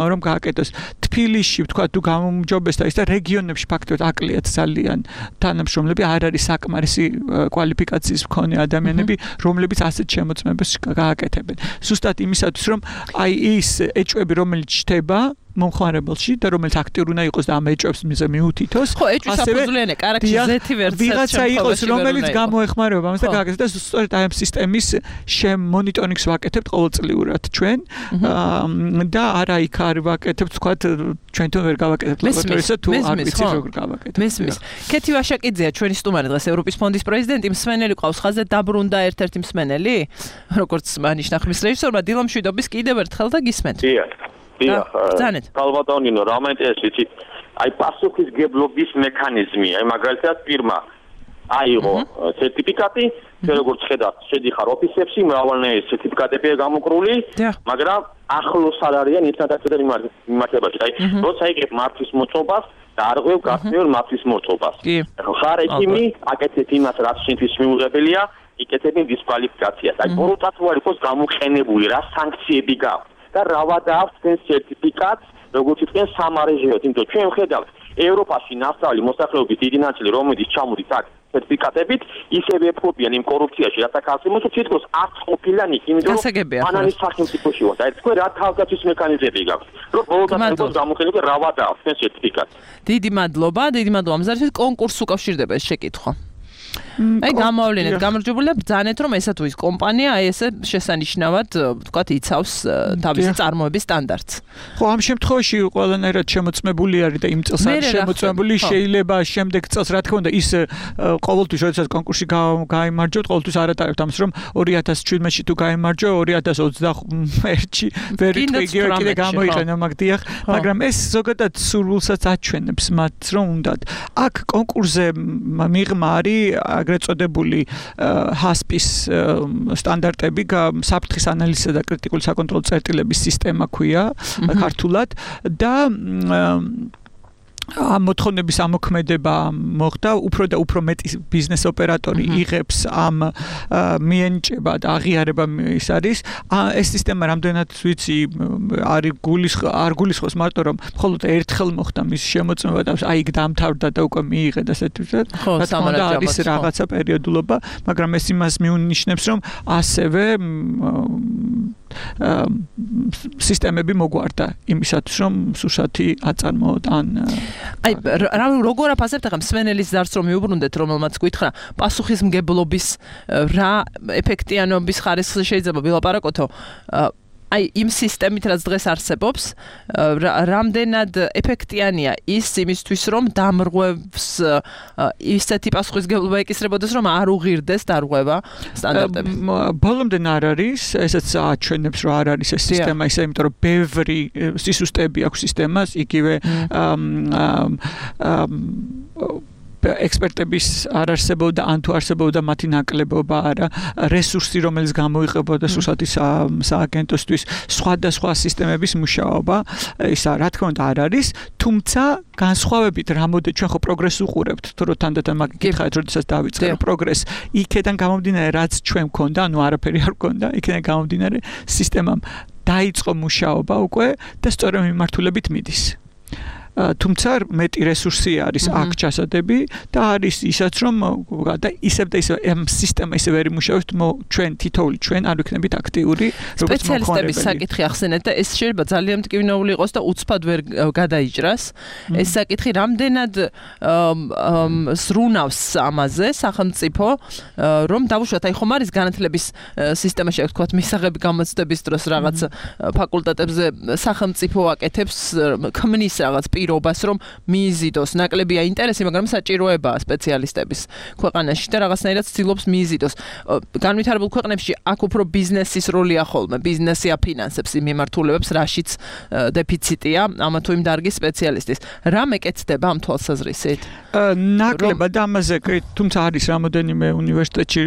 რომ გააკეთოს თბილისში თქვა თუ გამომჯობეს და ის და რეგიონებში ფაქტობრივად აკლიათ ძალიან თანამშრომლები არ არის საკმარისი კვალიფიკაციის მქონე ადამიანები რომლებიც ასეთ შემოწმებას გააკეთებენ ზუსტად იმისათვის რომ აი ის ეჭვები რომელიც ჩდება მომხმარებელში და რომელიც აქტიური უნდა იყოს და ამ ეჭვებს მიუთითოს ხო ეჭვის საფუძვლიანია კარაქი ზეთი ვერცად ვიღაცა იყოს რომელიც გამოეხმარება ამას და გააკეთებს და სწორედ აი ამ სისტემის შემონიტორინგს ვაკეთებთ ყოველწლიურად ჩვენ და არა იქ არ ვაკეთებთ თქვა ჩვენთან ვერ გავაკეთებთ ლაბორატორიასა თუ არ ვიცი როგორ გავაკეთებთ მესმის კეთი ვაშაკიძეა ჩვენი სტუმარი დღეს ევროპის ფონდის პრეზიდენტი მსმენელი ყავს ხაზზე დაბრუნდა ერთ-ერთი მსმენელი როგორც მანიშნა ხმის რეჟისორმა დილა მშვიდობის კიდევ ერთხელ და გისმენთ დიახ კალბატონინო რა მაინტერესებს იცი აი პასუხისგებლობის მექანიზმი აი მაგალითად ფირმა აიღო სერტიფიკატი როგორც ხედავთ შედიხარ ოფისებში მრავალნაირი სერტიფიკატებია გამოკრული მაგრამ ახლოს არ არიან ინსტანციებთან მიმართებაში აი როცა იგებ მართვის მოწყობას და არღვევ გახსნილ მართვის მოწყობას ხარ ექიმი აკეთებ იმას რაც შენთვის მიუღებელია იკეთებ დისკვალიფიკაციას აი ბოროტაც უარ იყოს გამოყენებული რა სანქციები გაქვს და რავადა აქვს თქვენ სერტიფიკატს როგორც თქვენ სამარეჟეოთ იმიტომ ჩვენ ვხედავთ ევროპაში ნასწავლი მოსახლეობის დიდი ნაწილი რომელიც ჩამოდის აქ სერტიფიკატებით ისევე ეფობიან იმ კორუფციაში რათა ქალწინოს თითქოს არც ყოფილან იქ იმიტომ რომ ანალის სახელმწიფოში ვარ და ეს თქვენ რა თავგაცვის მექანიზმები გაქვთ რომ ბოლოდან იყოს გამოყენებული რავადა აქვს თქვენ სერტიფიკატს დიდი მადლობა დიდი მადლობა ამზარისთვის კონკურსს უკავშირდება ეს შეკითხვა აი გამოავლინეთ გამარჯვებულია ბრძანეთ რომ ესა თუ ის კომპანია აი ესე შესანიშნავად ვთქვათ იცავს თავისი წარმოების სტანდარტს ხო ამ შემთხვევაში ყველანაირად შემოწმებული არის და იმ წელს არის შემოწმებული შეიძლება შემდეგ წელს რა თქმა უნდა ის ყოველთვის როდესაც კონკურსში გაიმარჯვოთ ყოველთვის არატარებთ ამას რომ ორი ათას შვიდმეტში თუ გაიმარჯვო ორი ათას ოცდაერთში ვერ იტყვი კიდე გამოიყენო მაგდიახ მაგრამ ეს ზოგადად სურვილსაც აჩვენებს მათ რომ უნდათ აქ კონკურსზე მიღმა არის ეგრეთ წოდებული ჰასპის სტანდარტები საფრთხის ანალიზისა და კრიტიკული საკონტროლო წერტილების სისტემა ქვია ქართულად და ამ მოთხოვნების ამოქმედება მოხდა უფრო და უფრო მეტი ბიზნეს ოპერატორი იღებს ამ მიენიჭება და აღიარება ის არის ეს სისტემა რამდენად ვიცი არის გულის არ გულისხმობს მარტო რომ მხოლოდ ერთხელ მოხდა მის შემოწმება და აი იქ დამთავრდა და უკვე მიიღე და ასეთ ვთქვათ რა თქმა უნდა არის რაღაცა პერიოდულობა მაგრამ ეს იმას მიუნიშნებს რომ ასევე სისტემები მოგვარდა იმისათვის რომ სურსათი აწარმოოთ ან აი რა როგორ აფასებთ ახლა მსმენელის ზარს რომ მიუბრუნდეთ რომელმაც გითხრა პასუხისმგებლობის რა ეფექტიანობის ხარისხზე შეიძლება ვილაპარაკოთო აი იმ სისტემით რაც დღეს არსებობს რამდენად ეფექტიანია ის იმისთვის რომ დამრღვევს ისეთი პასუხისმგებლობა ეკისრებოდეს რომ არ უღირდეს დარღვევა სტანდარტები ბოლომდე არ არის ესეც აჩვენებს რომ არ არის ეს სისტემა ისე იმიტომ რომ ბევრი სისუსტეები აქვს სისტემას იგივე ექსპერტების არ არსებობდა ან თუ არსებობდა მათი ნაკლებობა არა რესურსი რომელიც გამოიყებოდა სურსათის სააგენტოსთვის სხვადასხვა სისტემების მუშაობა ისა რა თქმა უნდა არ არის თუმცა განსხვავებით რამოდენ ჩვენ ხო პროგრესს უყურებთ თუ რო თანდათან მაგ გითხარით როდესაც დავიწყე პროგრესს იქიდან გამომდინარე რაც ჩვენ გქონდა ანუ არაფერი არ გქონდა იქიდან გამომდინარე სისტემამ დაიწყო მუშაობა უკვე და სწორედ მიმართულებით მიდის თუმცა მეტი რესურსი არის აქ ჩასადები და არის ისაც რომ და ისევ და ისევ ამ სისტემა ისე ვერ იმუშავებს ჩვენ თითოეული ჩვენ არ ვიქნებით აქტიური როგორც სპეციალისტების საკითხი ახსენეთ და ეს შეიძლება ძალიან მტკივნეული იყოს და უცბად ვერ გადაიჭრას ეს საკითხი რამდენად სრუნავს ამაზე სახელმწიფო რომ დავუშვათ აი ხომ არის განათლების სისტემაში აქ თქვათ მისაღები გამოცდების დროს რაღაც ფაკულტეტებზე სახელმწიფო აკეთებს ქმნის რაღაც პირობას რომ მიიზიდოს ნაკლებია ინტერესი მაგრამ საჭიროებაა სპეციალისტების ქვეყანაში და რაღაცნაირად ცდილობს მიიზიდოს განვითარებულ ქვეყნებში აქ უფრო ბიზნესის როლია ხოლმე ბიზნესი აფინანსებს იმ მიმართულებებს რაშიც დეფიციტია ამა თუ იმ დარგის სპეციალისტის რა მეკეთდება ამ თვალსაზრისით ნაკლებად ამაზე თუმცა არის რამოდენიმე უნივერსიტეტში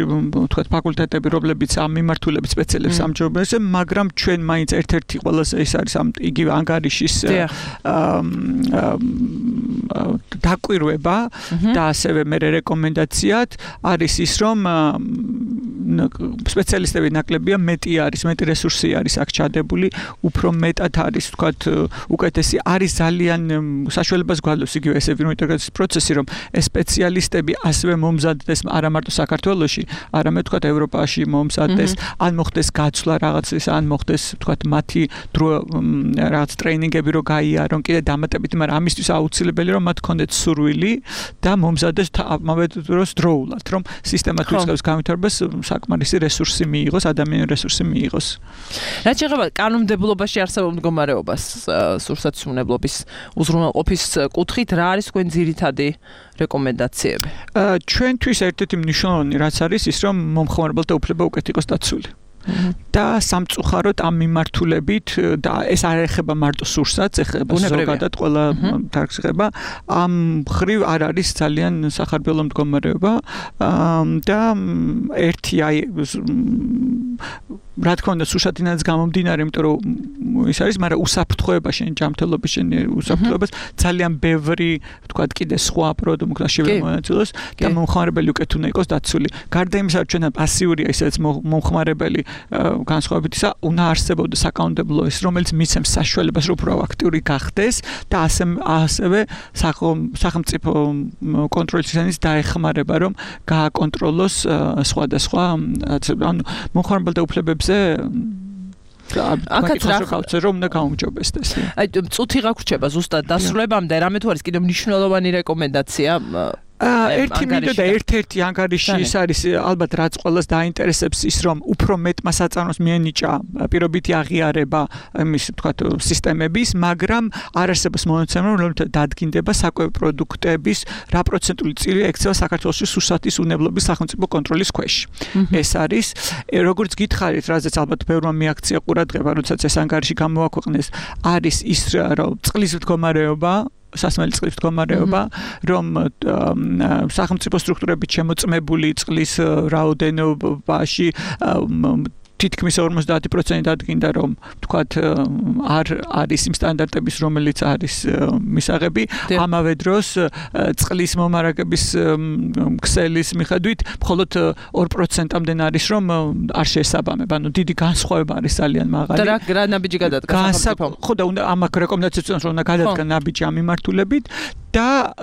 თქვათ ფაკულტეტები რომლებიც ამ მიმართულებით სპეციალებს ამჯობესებს მაგრამ ჩვენ მაინც ერთ-ერთი ყველაზე ის არის ამ იგივე ანგარიშის დაკვირვება და ასევე მე რეკომენდაციად არის ის რომ სპეციალისტები ნაკლებია მეტი არის მეტი რესურსი არის აქ ჩადებული უფრო მეტად არის თქვათ უკეთესი არის ძალიან საშუალებას გვაძლევს იგივე ეს ინტეგრაციის პროცესი რომ ეს სპეციალისტები ასევე მომზადდეს არა მარტო საქართველოში არამედ თქვათ ევროპაში მომზადდეს ან მოხდეს გაცვლა რაღაცის ან მოხდეს თქვათ მათი დრო რაღაც ტრეინინგები რო გაიარონ კიდე დამატებით მაგრამ ამისთვის აუცილებელი რომ მათ ქონდეთ სურვილი და მომზადდეს ამავე დროს დროულად რომ სისტემა თუ იწყებს განვითარებას საკმარისი რესურსი მიიღოს ადამიანური რესურსი მიიღოს რაც შეეხება კანონმდებლობაში არსებულ მდგომარეობას სურსათმუნებლობის უზრუნველყოფის კუთხით რა არის თქვენ ძირითადი რეკომენდაციები ჩვენთვის ერთ-ერთი მნიშვნელოვანი რაც არის ის რომ მომხმარებელთა უფლება უკეთ იყოს დაცული და სამწუხაროდ ამ მიმართულებით და ეს არ ეხება მარტო სურსათს, ეხება ზოგადად ყველა დარგს ეხება. ამ ხრივ არ არის ძალიან სახარბელო მდგომარეობა და ერთი აი რა თქმა უნდა სურსათინაც გამომდინარე, იმიტომ რომ ის არის, მაგრამ უსაფრთხოება შენ ჯანმრთელობის შენ უსაფრთხოებას ძალიან ბევრი თქვა კიდე სხვა პროდუქტი შეიძლება მონაწილეოს და მომხმარებელი უკეთ უნდა იყოს დაცული. გარდა იმისა, რომ ჩვენ პასიურია ისედაც მომხმარებელი განსხვავებით ისა უნდა არსებობდეს საკანონმდებლო ის რომელიც მიცემს საშუალებას რომ უფრო აქტიური გახდეს და ასე ასევე სახელმწიფო კონტროლის შენის დაეხმარება რომ გააკონტროლოს სხვადასხვა ანუ მომხმარებელთა უფლებებზე აკაც რა ხალხზე რომ უნდა გაუმჯობესდეს. აი წუთი გაგვრჩება ზუსტად დასრულებამდე რამე თუ არის კიდევ მნიშვნელოვანი რეკომენდაცია ერთი მინდა და ერთ-ერთი ანგარიში ის არის ალბათ რაც ყველას დაინტერესებს ის რომ უფრო მეტმა საწარმოს მიენიჭა პირობითი აღიარება იმის თქვათ სისტემების, მაგრამ არ არსებობს მონაცემები რომ დადგინდება საკვები პროდუქტების რა პროცენტული წილი ექცევა საქართველოს სურსათის უნებლობის სახელმწიფო კონტროლის ქვეშ. ეს არის როგორც გითხარით, რაზეც ალბათ ბევრმა მიაქცია ყურადღება, როდესაც ეს ანგარიში გამოაქვეყნეს, არის ის რომ წყლის მდგომარეობა სასმელი წყლის მდგომარეობა, რომ სახელმწიფო სტრუქტურებით შემოწმებული წყლის რაოდენობაში თითქმის ორმოცდაათი პროცენტი დადგინდა, რომ თქვათ არ არის იმ სტანდარტების, რომელიც არის მისაღები. ამავე დროს წყლის მომარაგების ქსელის მიხედვით მხოლოდ ორ პროცენტამდე არის, რომ არ შეესაბამება. ანუ დიდი განსხვავება არის ძალიან მაღალი. და რა ნაბიჯი გადადგა სახელმწიფომ? ხო და უნდა ამ რეკომენდაციებს უნდა რომ გადადგა ნაბიჯი ამ მიმართულებით. და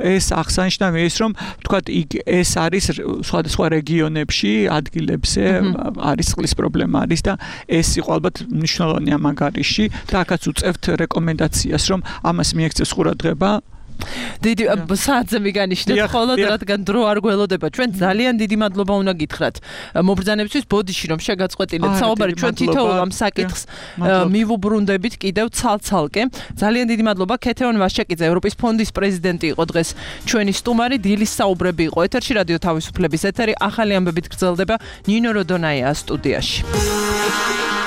ეს აღსანიშნავია ის, რომ თქვათ ეს არის სხვადასხვა რეგიონებში, ადგილებზე არის წყლის პრობლემა არის და ეს იყო ალბათ მნიშვნელოვანი ამ ანგარიში და აქაც უწევთ რეკომენდაციას, რომ ამას მიექცეს ყურადღება. დიდი საათზე მიგანიშნეთ ხოლოდ რადგან დრო არ გველოდება ჩვენ ძალიან დიდი მადლობა უნდა გითხრათ მობრძანებისთვის ბოდიში რომ შეგაწყვეტილეთ საუბარი ჩვენ თითოეულ ამ საკითხს მივუბრუნდებით კიდევ ცალ-ცალკე ძალიან დიდი მადლობა ქეთევან ვაშაკიძე ევროპის ფონდის პრეზიდენტი იყო დღეს ჩვენი სტუმარი დილის საუბრები იყო ეთერში რადიო თავისუფლების ეთერი ახალი ამბებით გრძელდება ნინო როდონაია სტუდიაში